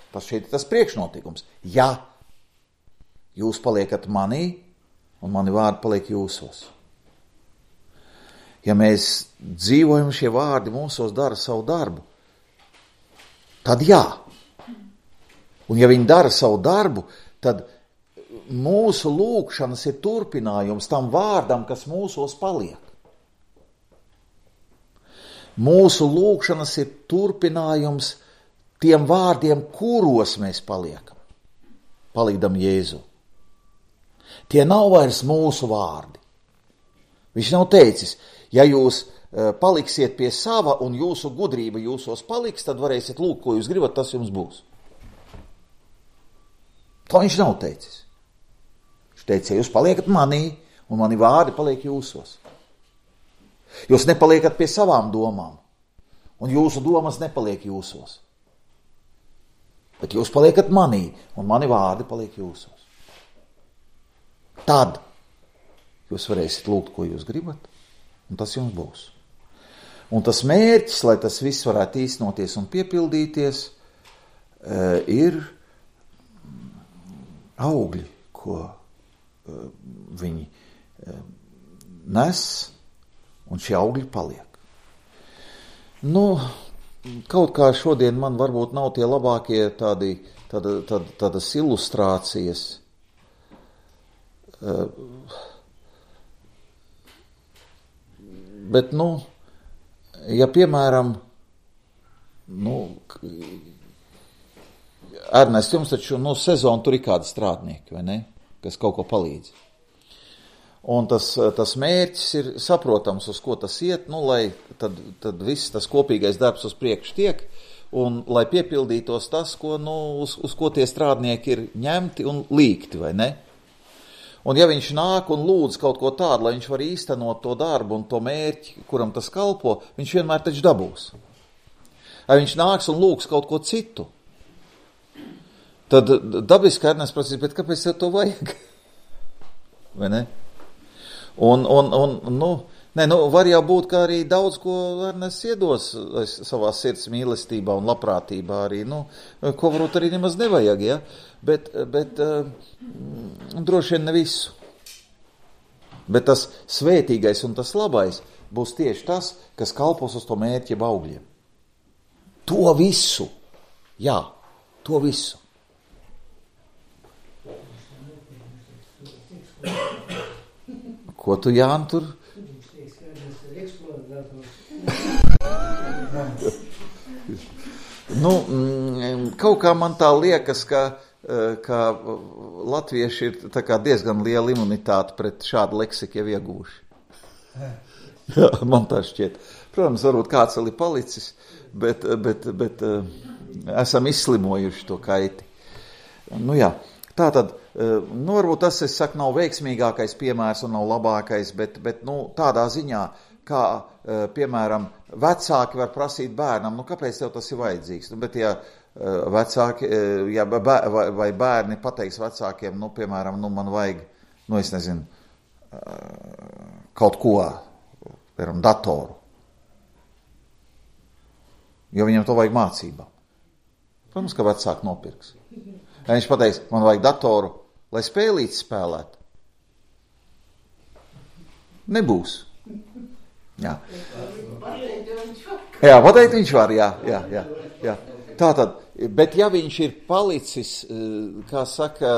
Tas šeit ir tas priekšnotikums. Ja jūs paliekat manī un mani vārdi paliek jūsos. Ja mēs dzīvojam, šie vārdi mūsos dara savu darbu, tad jā. Un ja viņi dara savu darbu, tad mūsu lūgšanas ir turpinājums tam vārdam, kas mūsos paliek. Mūsu lūgšanas ir turpinājums tiem vārdiem, kuros mēs paliekam. Palīdam Jēzu. Tie nav vairs mūsu vārdi. Viņš nav teicis, ja jūs paliksiet pie sava un jūsu gudrība jūsos paliks, tad varēsiet lūgt, ko jūs gribat, tas jums būs. To viņš nav teicis. Viņš teica, ja jūs paliekat manī un mani vārdi paliek jūsos. Jūs nepaliekat pie savām domām un jūsu domas nepaliek jūsos. Bet jūs paliekat manī un mani vārdi paliek jūsos. Tad jūs varēsiet lūgt, ko jūs gribat, un tas jums būs. Un tas mērķis, lai tas viss varētu īstenoties un piepildīties, ir augļi, ko viņi nes, un šie augļi paliek. Nu, kaut kā šodien man varbūt nav tie labākie tādas ilustrācijas, bet, ja piemēram, Ernest, jums taču sezonu tur ir kādi strādnieki, vai ne, kas kaut ko palīdz. Un tas mērķis ir saprotams, uz ko tas iet, lai tad viss tas kopīgais darbs uz priekšu tiek, un lai piepildītos tas, ko, uz ko tie strādnieki ir ņemti un līgti, vai ne? Un ja viņš nāk un lūdz kaut ko tādu, lai viņš var īstenot to darbu un to mērķi, kuram tas kalpo, viņš vienmēr taču dabūs. Ja viņš nāks un lūgs kaut ko citu, tad dabiski Ernest prasīs, bet kāpēc tev to vajag? Vai ne? Un Nē, nu, var jau būt, ka arī daudz ko Ernests iedos savā sirds mīlestībā un labprātībā arī, nu, ko varbūt arī nemaz nevajag, ja? Bet droši vien ne visu. Bet tas svētīgais un tas labais būs tieši tas, kas kalpos uz to mērķi augļiem. To visu, jā, to visu. Ko tu, Jāni, tur? Nu, kaut kā man tā liekas, ka latvieši ir tā kā diezgan liela imunitāte pret šādu leksiku jau iegūši. Jā, man tā šķiet. Protams, varbūt kāds vēl ir palicis, bet esam izslimojuši to kaiti. Nu jā, tā tad, nu varbūt tas, es saku, nav veiksmīgākais piemērs un nav labākais, bet nu, tādā ziņā, kā, piemēram, vecāki var prasīt bērnam, nu kāpēc tev tas ir vajadzīgs? Nu, bet ja vecāki, ja vai bērni pateiks vecākiem, nu, piemēram, nu man vajag, nu es nezinu, kaut ko, piemēram, datoru. Jo viņam to vajag mācībām. Protams, ka vecāki nopirks. Ja viņš pateiks, man vajag datoru, lai spēlītes spēlētu. Nebūs. Jā. Jā, pateikt viņš var, jā. Tātad, bet ja viņš ir palicis, kā saka,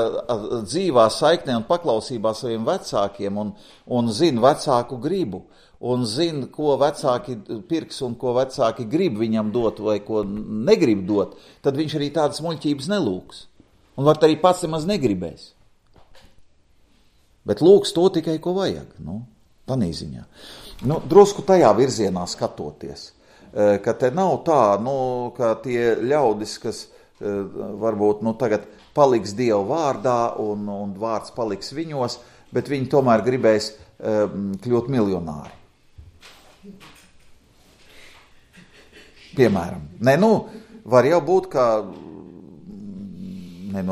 dzīvā saiknē un paklausībā saviem vecākiem un zina vecāku gribu, un zina, ko vecāki pirks un ko vecāki grib viņam dot vai ko negrib dot, tad viņš arī tādas muļķības nelūks. Un var arī pats nemaz negribēs. Bet lūks to tikai, ko vajag, nu, tanī ziņā. Nu, drusku tajā virzienā skatoties, ka te nav tā, nu, ka tie ļaudis, kas varbūt, nu, tagad paliks Dieva vārdā un vārds paliks viņos, bet viņi tomēr gribēs kļūt miljonāri. Piemēram. Nē, nu, var jau būt, ka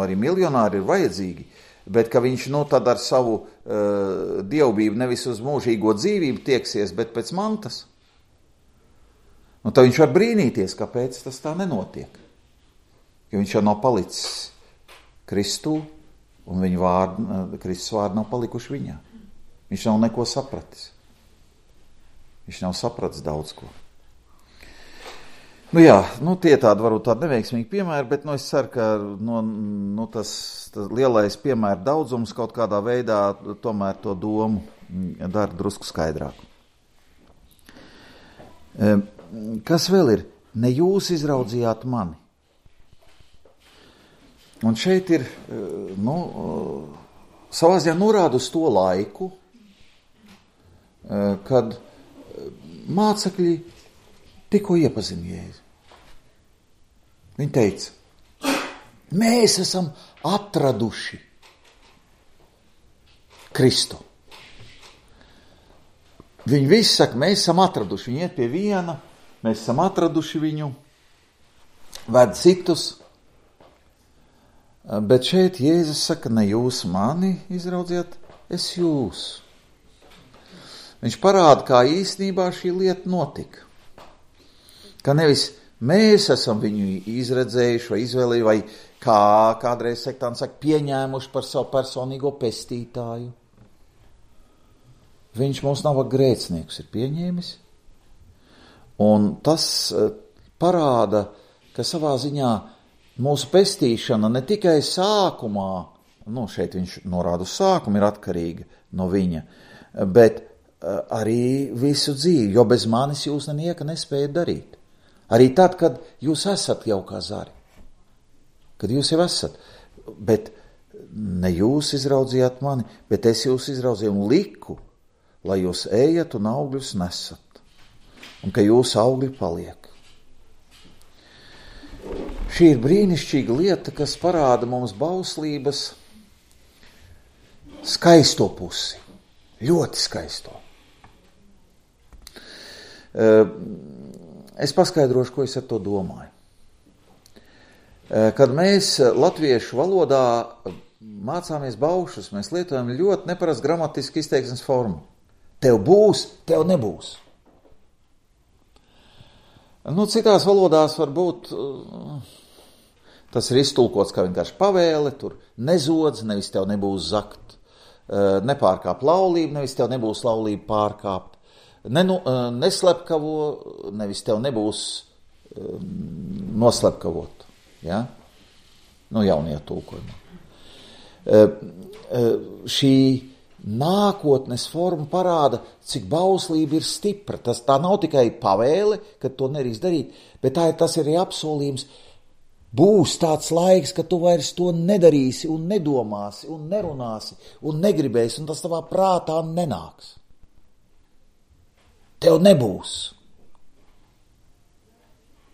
arī miljonāri ir vajadzīgi, bet ka viņš, nu, tad ar savu dievbību nevis uz mūžīgo dzīvību tieksies, bet pēc mantas. Nu, tad viņš var brīnīties, kāpēc tas tā nenotiek. Jo viņš jau nav palicis Kristū, un viņa Kristus vārdi nav palikuši viņā. Viņš nav neko sapratis. Viņš nav sapratis daudz ko. Nu jā, nu tie tādi varbūt tādi neveiksmīgi piemēri, bet nu es ceru, ka tas lielais piemēru daudzums kaut kādā veidā tomēr to domu dara drusku skaidrāku. Kas vēl ir? Ne jūs izraudzījāt mani. Un šeit ir, nu, savā ziņā norāda uz to laiku, kad mācekļi tikko iepazina Jēzu. Viņi teica, mēs esam atraduši Kristu. Viņi visi saka, mēs esam atraduši. Viņi iet pie viena, mēs esam atraduši viņu, ved citus. Bet šeit Jēzus saka, ne jūs mani izraudzījāt, es jūs. Viņš parāda, kā īstenībā šī lieta notika. Ka nevis mēs esam viņu izredzējuši vai izvēlējuši, vai kā kādreiz sektāni saka, pieņēmuši par savu personīgo pestītāju. Viņš mūs nav grēcniekus ir pieņēmis. Un tas parāda, ka savā ziņā mūsu pestīšana ne tikai sākumā, nu šeit viņš norāda uz sākumu, ir atkarīga no viņa, bet arī visu dzīvi, jo bez manis jūs nenieka nespējat darīt. Arī tad, kad jūs esat jau kā zari. Kad jūs jau esat. Bet ne jūs izraudzījāt mani, bet es jūs izraudzīju un liku, lai jūs ejat un augļus nesat. Un ka jūsu augļi paliek. Šī ir brīnišķīga lieta, kas parāda mums bauslības skaisto pusi. Ļoti skaisto. Es paskaidrošu, ko es ar to domāju. Kad mēs latviešu valodā mācāmies baušus, mēs lietojam ļoti neparastu gramatisku izteiksmes formu. Tev būs, tev nebūs. Citās valodās varbūt tas ir iztulkots kā vienkārši pavēle, tur nezodz, nevis tev nebūs zakt, nepārkāp laulību, nevis tev nebūs laulību pārkāpt, neslepkavo, nevis tev nebūs noslepkavot. Ja? Jaunie tulkojumi. Šī nākotnes forma parāda, cik bauslība ir stipra. Tā nav tikai pavēle, ka to nedrīkst darīt, bet tas ir arī apsolījums. Būs tāds laiks, ka tu vairs to nedarīsi un nedomāsi un nerunāsi un negribēsi, un tas tavā prātā nenāks. Tev nebūs.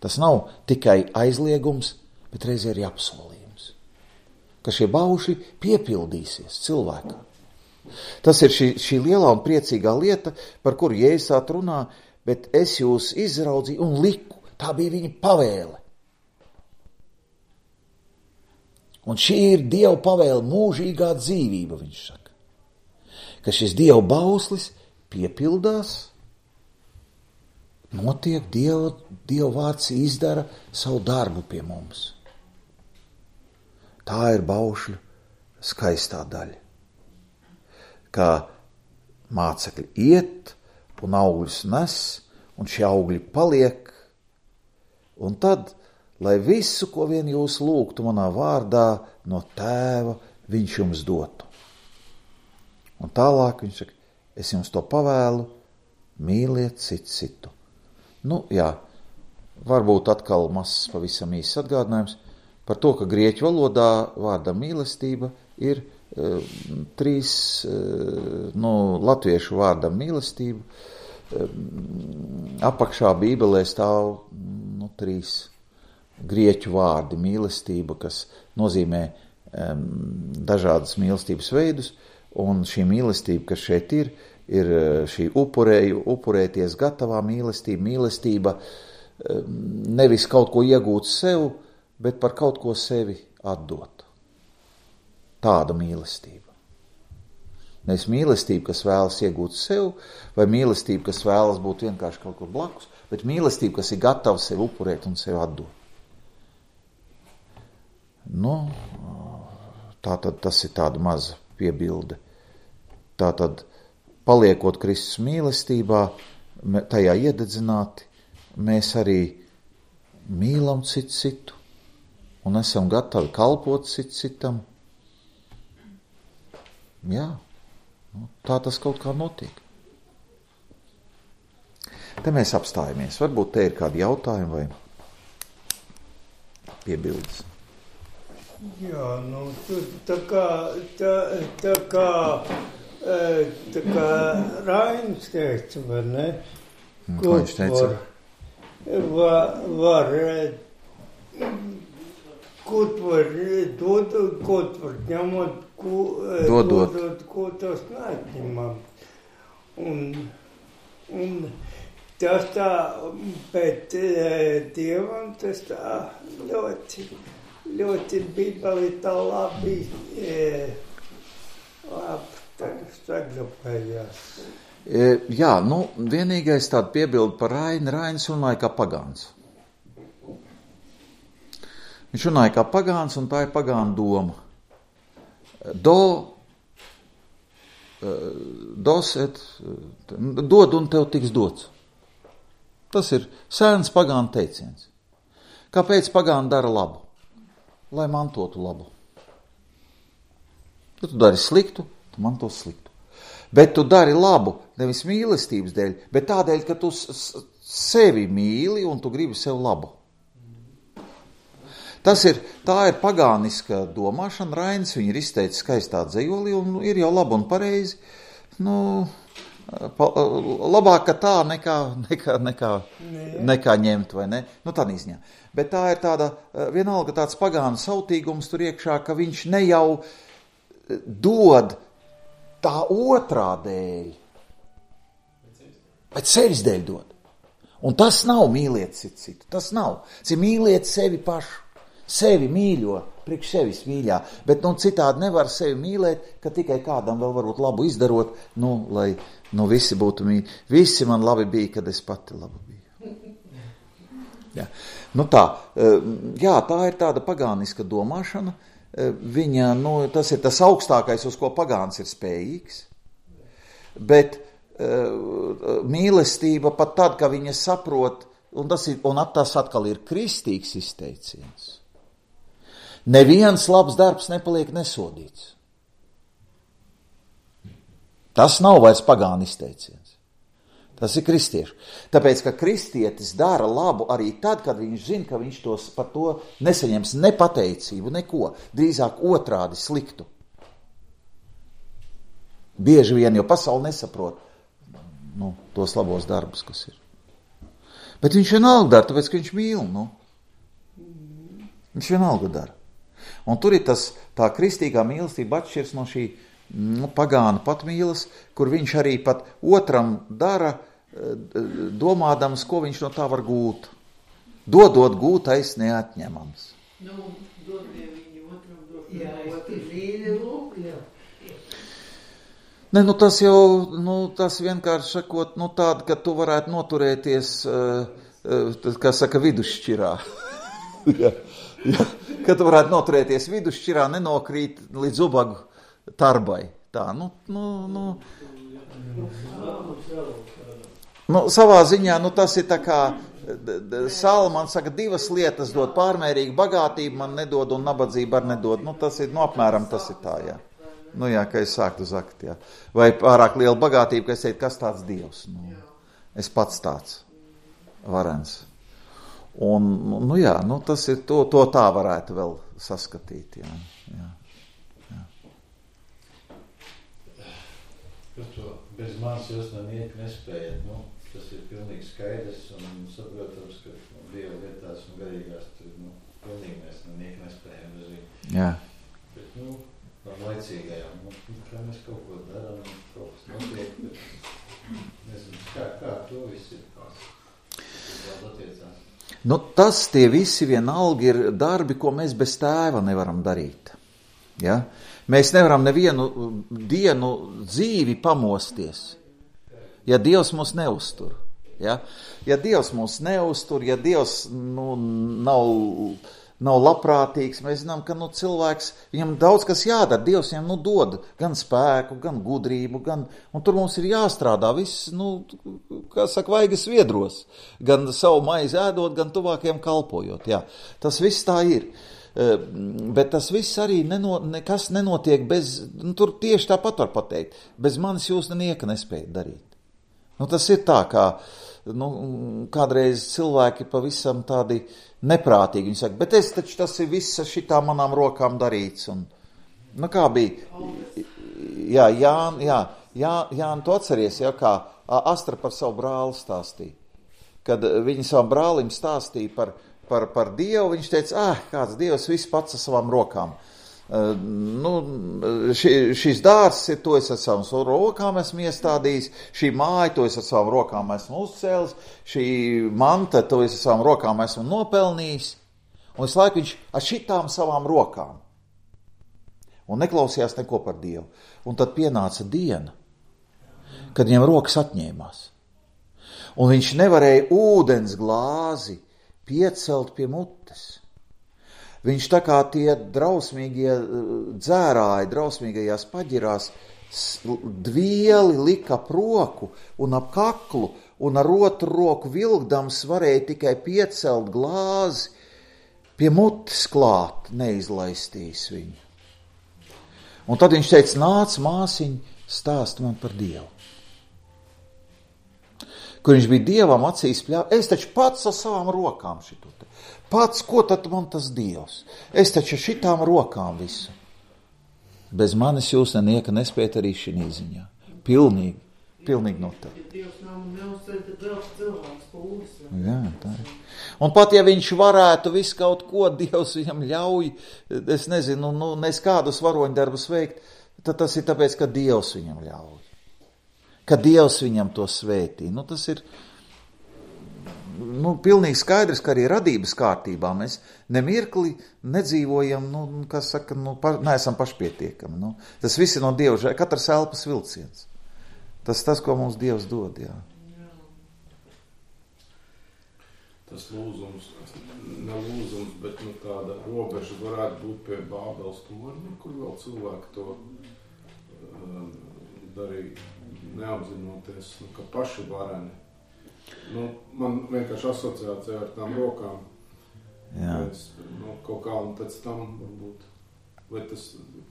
Tas nav tikai aizliegums, bet reizē arī apsolījums, ka šie baušļi piepildīsies cilvēkā. Tas ir šī lielā un priecīgā lieta, par kuru Jēzus runā, bet es jūs izraudzīju un liku. Tā bija viņa pavēle. Un šī ir Dieva pavēle, mūžīgā dzīvība, viņš saka. Ka šis Dieva bauslis piepildās, notiek Dieva vārds izdara savu darbu pie mums. Tā ir baušļu skaistā daļa. Kā mācekļi iet un augļus nes, un šie augļi paliek, un tad, lai visu, ko vien jūs lūgtu manā vārdā, no Tēva viņš jums dotu. Un tālāk viņš saka, es jums to pavēlu, mīliet citu. Varbūt atkal mazs pavisam īsts atgādinājums par to, ka grieķu valodā vārda mīlestība ir 3, latviešu vārdam mīlestību, apakšā Bībelē stāv 3 grieķu vārdi mīlestība, kas nozīmē dažādas mīlestības veidus, un šī mīlestība, kas šeit ir šī upurēties gatavā mīlestība, nevis kaut ko iegūt sev, bet par kaut ko sevi atdot. Tāda mīlestība. Nevis mīlestība, kas vēlas iegūt sev, vai mīlestība, kas vēlas būt vienkārši kaut kur blakus, bet mīlestība, kas ir gatava sevi upurēt un sevi atdot. Tātad tas ir tāda maza piebilde. Tātad, paliekot Kristus mīlestībā, tajā iededzināti, mēs arī mīlam citu un esam gatavi kalpot citam. Jā, tā tas kaut kā notiek. Te mēs apstājamies. Varbūt te ir kādi jautājumi vai piebildes. Jā, tā kā Rainis teica, vai ne? Ko viņš teica? Var kaut var dot, kaut var ņemot, dodot, ko tas neatņemam. Un tas tā, bet Dievam tas tā ļoti Bībeli tā labi sagrupējās. Jā, vienīgais tāda piebilde par Raini. Rainis runāja kā pagāns. Viņš runāja kā pagāns, un tā ir pagāna doma. Dod un tev tiks dots. Tas ir sēns pagāna teiciens. Kāpēc pagāni dara labu? Lai mantotu labu. Ja tu dari sliktu, tu manto sliktu. Bet tu dari labu nevis mīlestības dēļ, bet tādēļ, ka tu sevi mīli un tu gribi sev labu. Tā ir pagāniska domāšana. Rainis viņu ir izteicis skaistā dzejolī un ir jau labi un pareizi. Labāk, ka tā nekā ņemt, vai ne? Tādā izņā. Bet tā ir tāda, vienalga tāds pagānu sautīgums tur iekšā, ka viņš ne jau dod tā otrā dēļ, bet sevis dēļ dod. Un tas nav mīliet citu. Tas nav. Tas ir mīliet sevi pašu. Sevi mīļo priekš sevis mīļā, bet citādi nevar sevi mīlēt, ka tikai kādam vēl varbūt labu izdarot, lai visi būtu mīļi. Visi man labi bija, kad es pati labi biju. Jā. Tā ir tāda pagāniska domāšana. Viņa, tas ir tas augstākais, uz ko pagāns ir spējīgs, bet mīlestība pat tad, ka viņa saprot, un tas atkal ir kristīgs izteiciens. Neviens labs darbs nepaliek nesodīts. Tas nav vairs pagānu izteiciens. Tas ir kristiešu. Tāpēc, ka kristietis dara labu arī tad, kad viņš zina, ka viņš par to nesaņems ne pateicību, neko, drīzāk otrādi sliktu. Bieži vien, jo pasaule nesaprot tos labos darbus, kas ir. Bet viņš vienalga dara, tāpēc, ka viņš mīl. Viņš vienalga dara. Un tur ir tā kristīgā mīlestība atšķirs no šī pagāna patmīlas, kur viņš arī pat otram dara, domādams, ko viņš no tā var gūt. Dodot gūtais neatņemams. Tas jau, tas vienkārši sakot, tāda, ka tu varētu noturēties, kā saka, vidusšķirā. Ja, ka tu varētu noturēties vidusšķirā, nenokrīt līdz ubagu tarbai. Tā, savā ziņā, tas ir tā kā Salmans saka, divas lietas dod, pārmērīga bagātība man nedod un nabadzība ar nedod. Tas ir, apmēram tas ir tā, jā. Ka es sāktu zakt, jā. Vai pārāk liela bagātība, ka es teiktu, kas tāds Dievs? Es pats tāds varens. Un, tas ir, to tā varētu vēl saskatīt, jā. Par to bez manis jūs nespējat, tas ir pilnīgi skaidrs un saprotams, ka Dieva lietās un garīgās tur, pilnīgi mēs nespējam bez viņu. Jā. Bet, laicīgajām, kā mēs kaut ko darām, kaut kas notiek, bet nezinu, kā to viss ir attiecās. Tie visi vienalga ir darbi, ko mēs bez Tēva nevaram darīt. Ja? Mēs nevaram nevienu dienu dzīvi pamosties, ja Dievs mūs neuztur. Ja? Ja Dievs mūs neuztur, ja Dievs nav labprātīgs, mēs zinām, ka cilvēks, viņam daudz kas jādara, Dievs viņam dod gan spēku, gan gudrību, un tur mums ir jāstrādā viss, kā saka, vaigas viedros, gan savu maizi ēdot, gan tuvākiem kalpojot, jā. Tas viss tā ir, bet tas viss arī nekas nenotiek bez, tur tieši tāpat var pateikt, bez manis jūs nieka nespējat darīt. Tas ir tā, kā, kādreiz cilvēki pavisam tādi neprātīgi, viņi saka, bet tas ir viss šitā manām rokām darīts, un, kā bija, Jāni, tu atceries, kā Astra par savu brāli stāstīja, kad viņi savam brālim stāstīja par Dievu, viņš teica, kāds Dievs viss pats ar savām rokām. Šis dārs ir, to es ar savām rokām esmu iestādījis, šī māja, to es ar savām rokām esmu uzcēlis, šī manta, to es ar savām rokām esmu nopelnījis, un visu laiku viņš ar šitām savām rokām, un neklausījās neko par Dievu. Un tad pienāca diena, kad viņam rokas atņēmās, un viņš nevarēja ūdens glāzi piecelt pie mutes. Viņš tā kā tie drausmīgie dzērāji, drausmīgajās paģirās, dvieli lika ap roku un ap kaklu, un ar otru roku vilkdams varēja tikai piecelt glāzi, pie mutes klāt, neizlaistīs viņu. Un tad viņš teica, nāc māsiņ, stāst man par Dievu. Kur viņš bija Dievam acīs pļāvis, es taču pats ar savām rokām šito te. Pats, ko tad man tas Dievs? Es taču šitām rokām visu. Bez manis jūs nieka nespējat arī šī ziņā. Pilnīgi noteikti. Dievs nav neuzceļ, tad vēl cilvēks pūlis. Jā, tā ir. Un pat ja viņš varētu visu kaut ko, Dievs viņam ļauj, es nezinu, nes kādus varoņdarbus veikt, tad tas ir tāpēc, ka Dievs viņam ļauj. Ka Dievs viņam to svētī. Tas ir, pilnīgi skaidrs, ka arī radības kārtībā mēs nemirkli nedzīvojam, neesam pašpietiekami. Tas viss ir no Dieva, katrs elpas vilciens. Tas, ko mums Dievs dod, jā. Tas lūzums, ne lūzums, bet tāda robeža varētu būt pie Bābeles torņa, kur vēl cilvēki to darīja neapzinoties, ka paši vareni. Man vienkārši asociācija ar tām rokām. Jā. Kaut kā un pēc tam varbūt, vai tas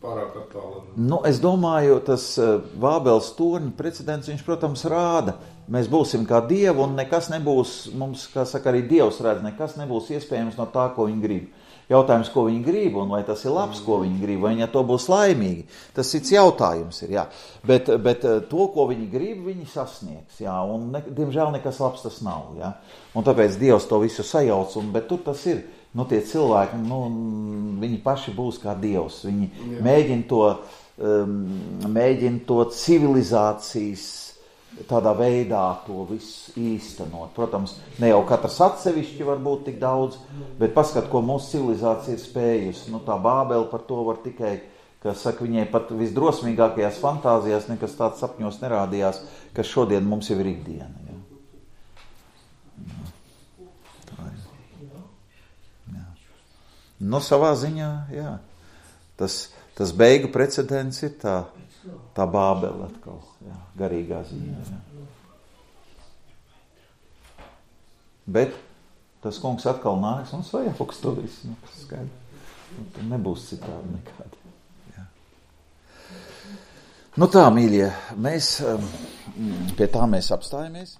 pārāk attālina. Es domāju, tas Bābeles torņa precedents, viņš, protams, rāda. Mēs būsim kā Dievu un nekas nebūs, mums, kā saka, arī Dievs redz, nekas nebūs iespējams no tā, ko viņi grib. Jautājums, ko viņi grib, un vai tas ir labs, ko viņi grib, vai viņi ar to būs laimīgi. Tas cits jautājums ir, jā. Bet to, ko viņi grib, viņi sasniegs, jā. Un, diemžēl, nekas labs tas nav, jā. Un tāpēc Dievs to visu sajauc, bet tur tas ir. Tie cilvēki, viņi paši būs kā Dievs. Viņi mēģina to civilizācijas tādā veidā to visu īstenot. Protams, ne jau katrs atsevišķi var būt tik daudz, bet paskat, ko mūsu civilizācija ir spējusi. Tā Bābele par to var tikai, ka saka, viņai pat visdrosmīgākajās fantāzijās nekas tāds sapņos nerādījās, kas šodien mums jau ir ikdiena. Ja? Tā ir. Jā. Savā ziņā, jā. Tas beigu precedents ir tā Bābele atkal, jā, garīgā ziņā. Jā. Bet tas kungs atkal nāks un sajauks to visu. Tur nebūs citādi nekādi. Jā. Tā, mīļie, pie tā mēs apstājamies.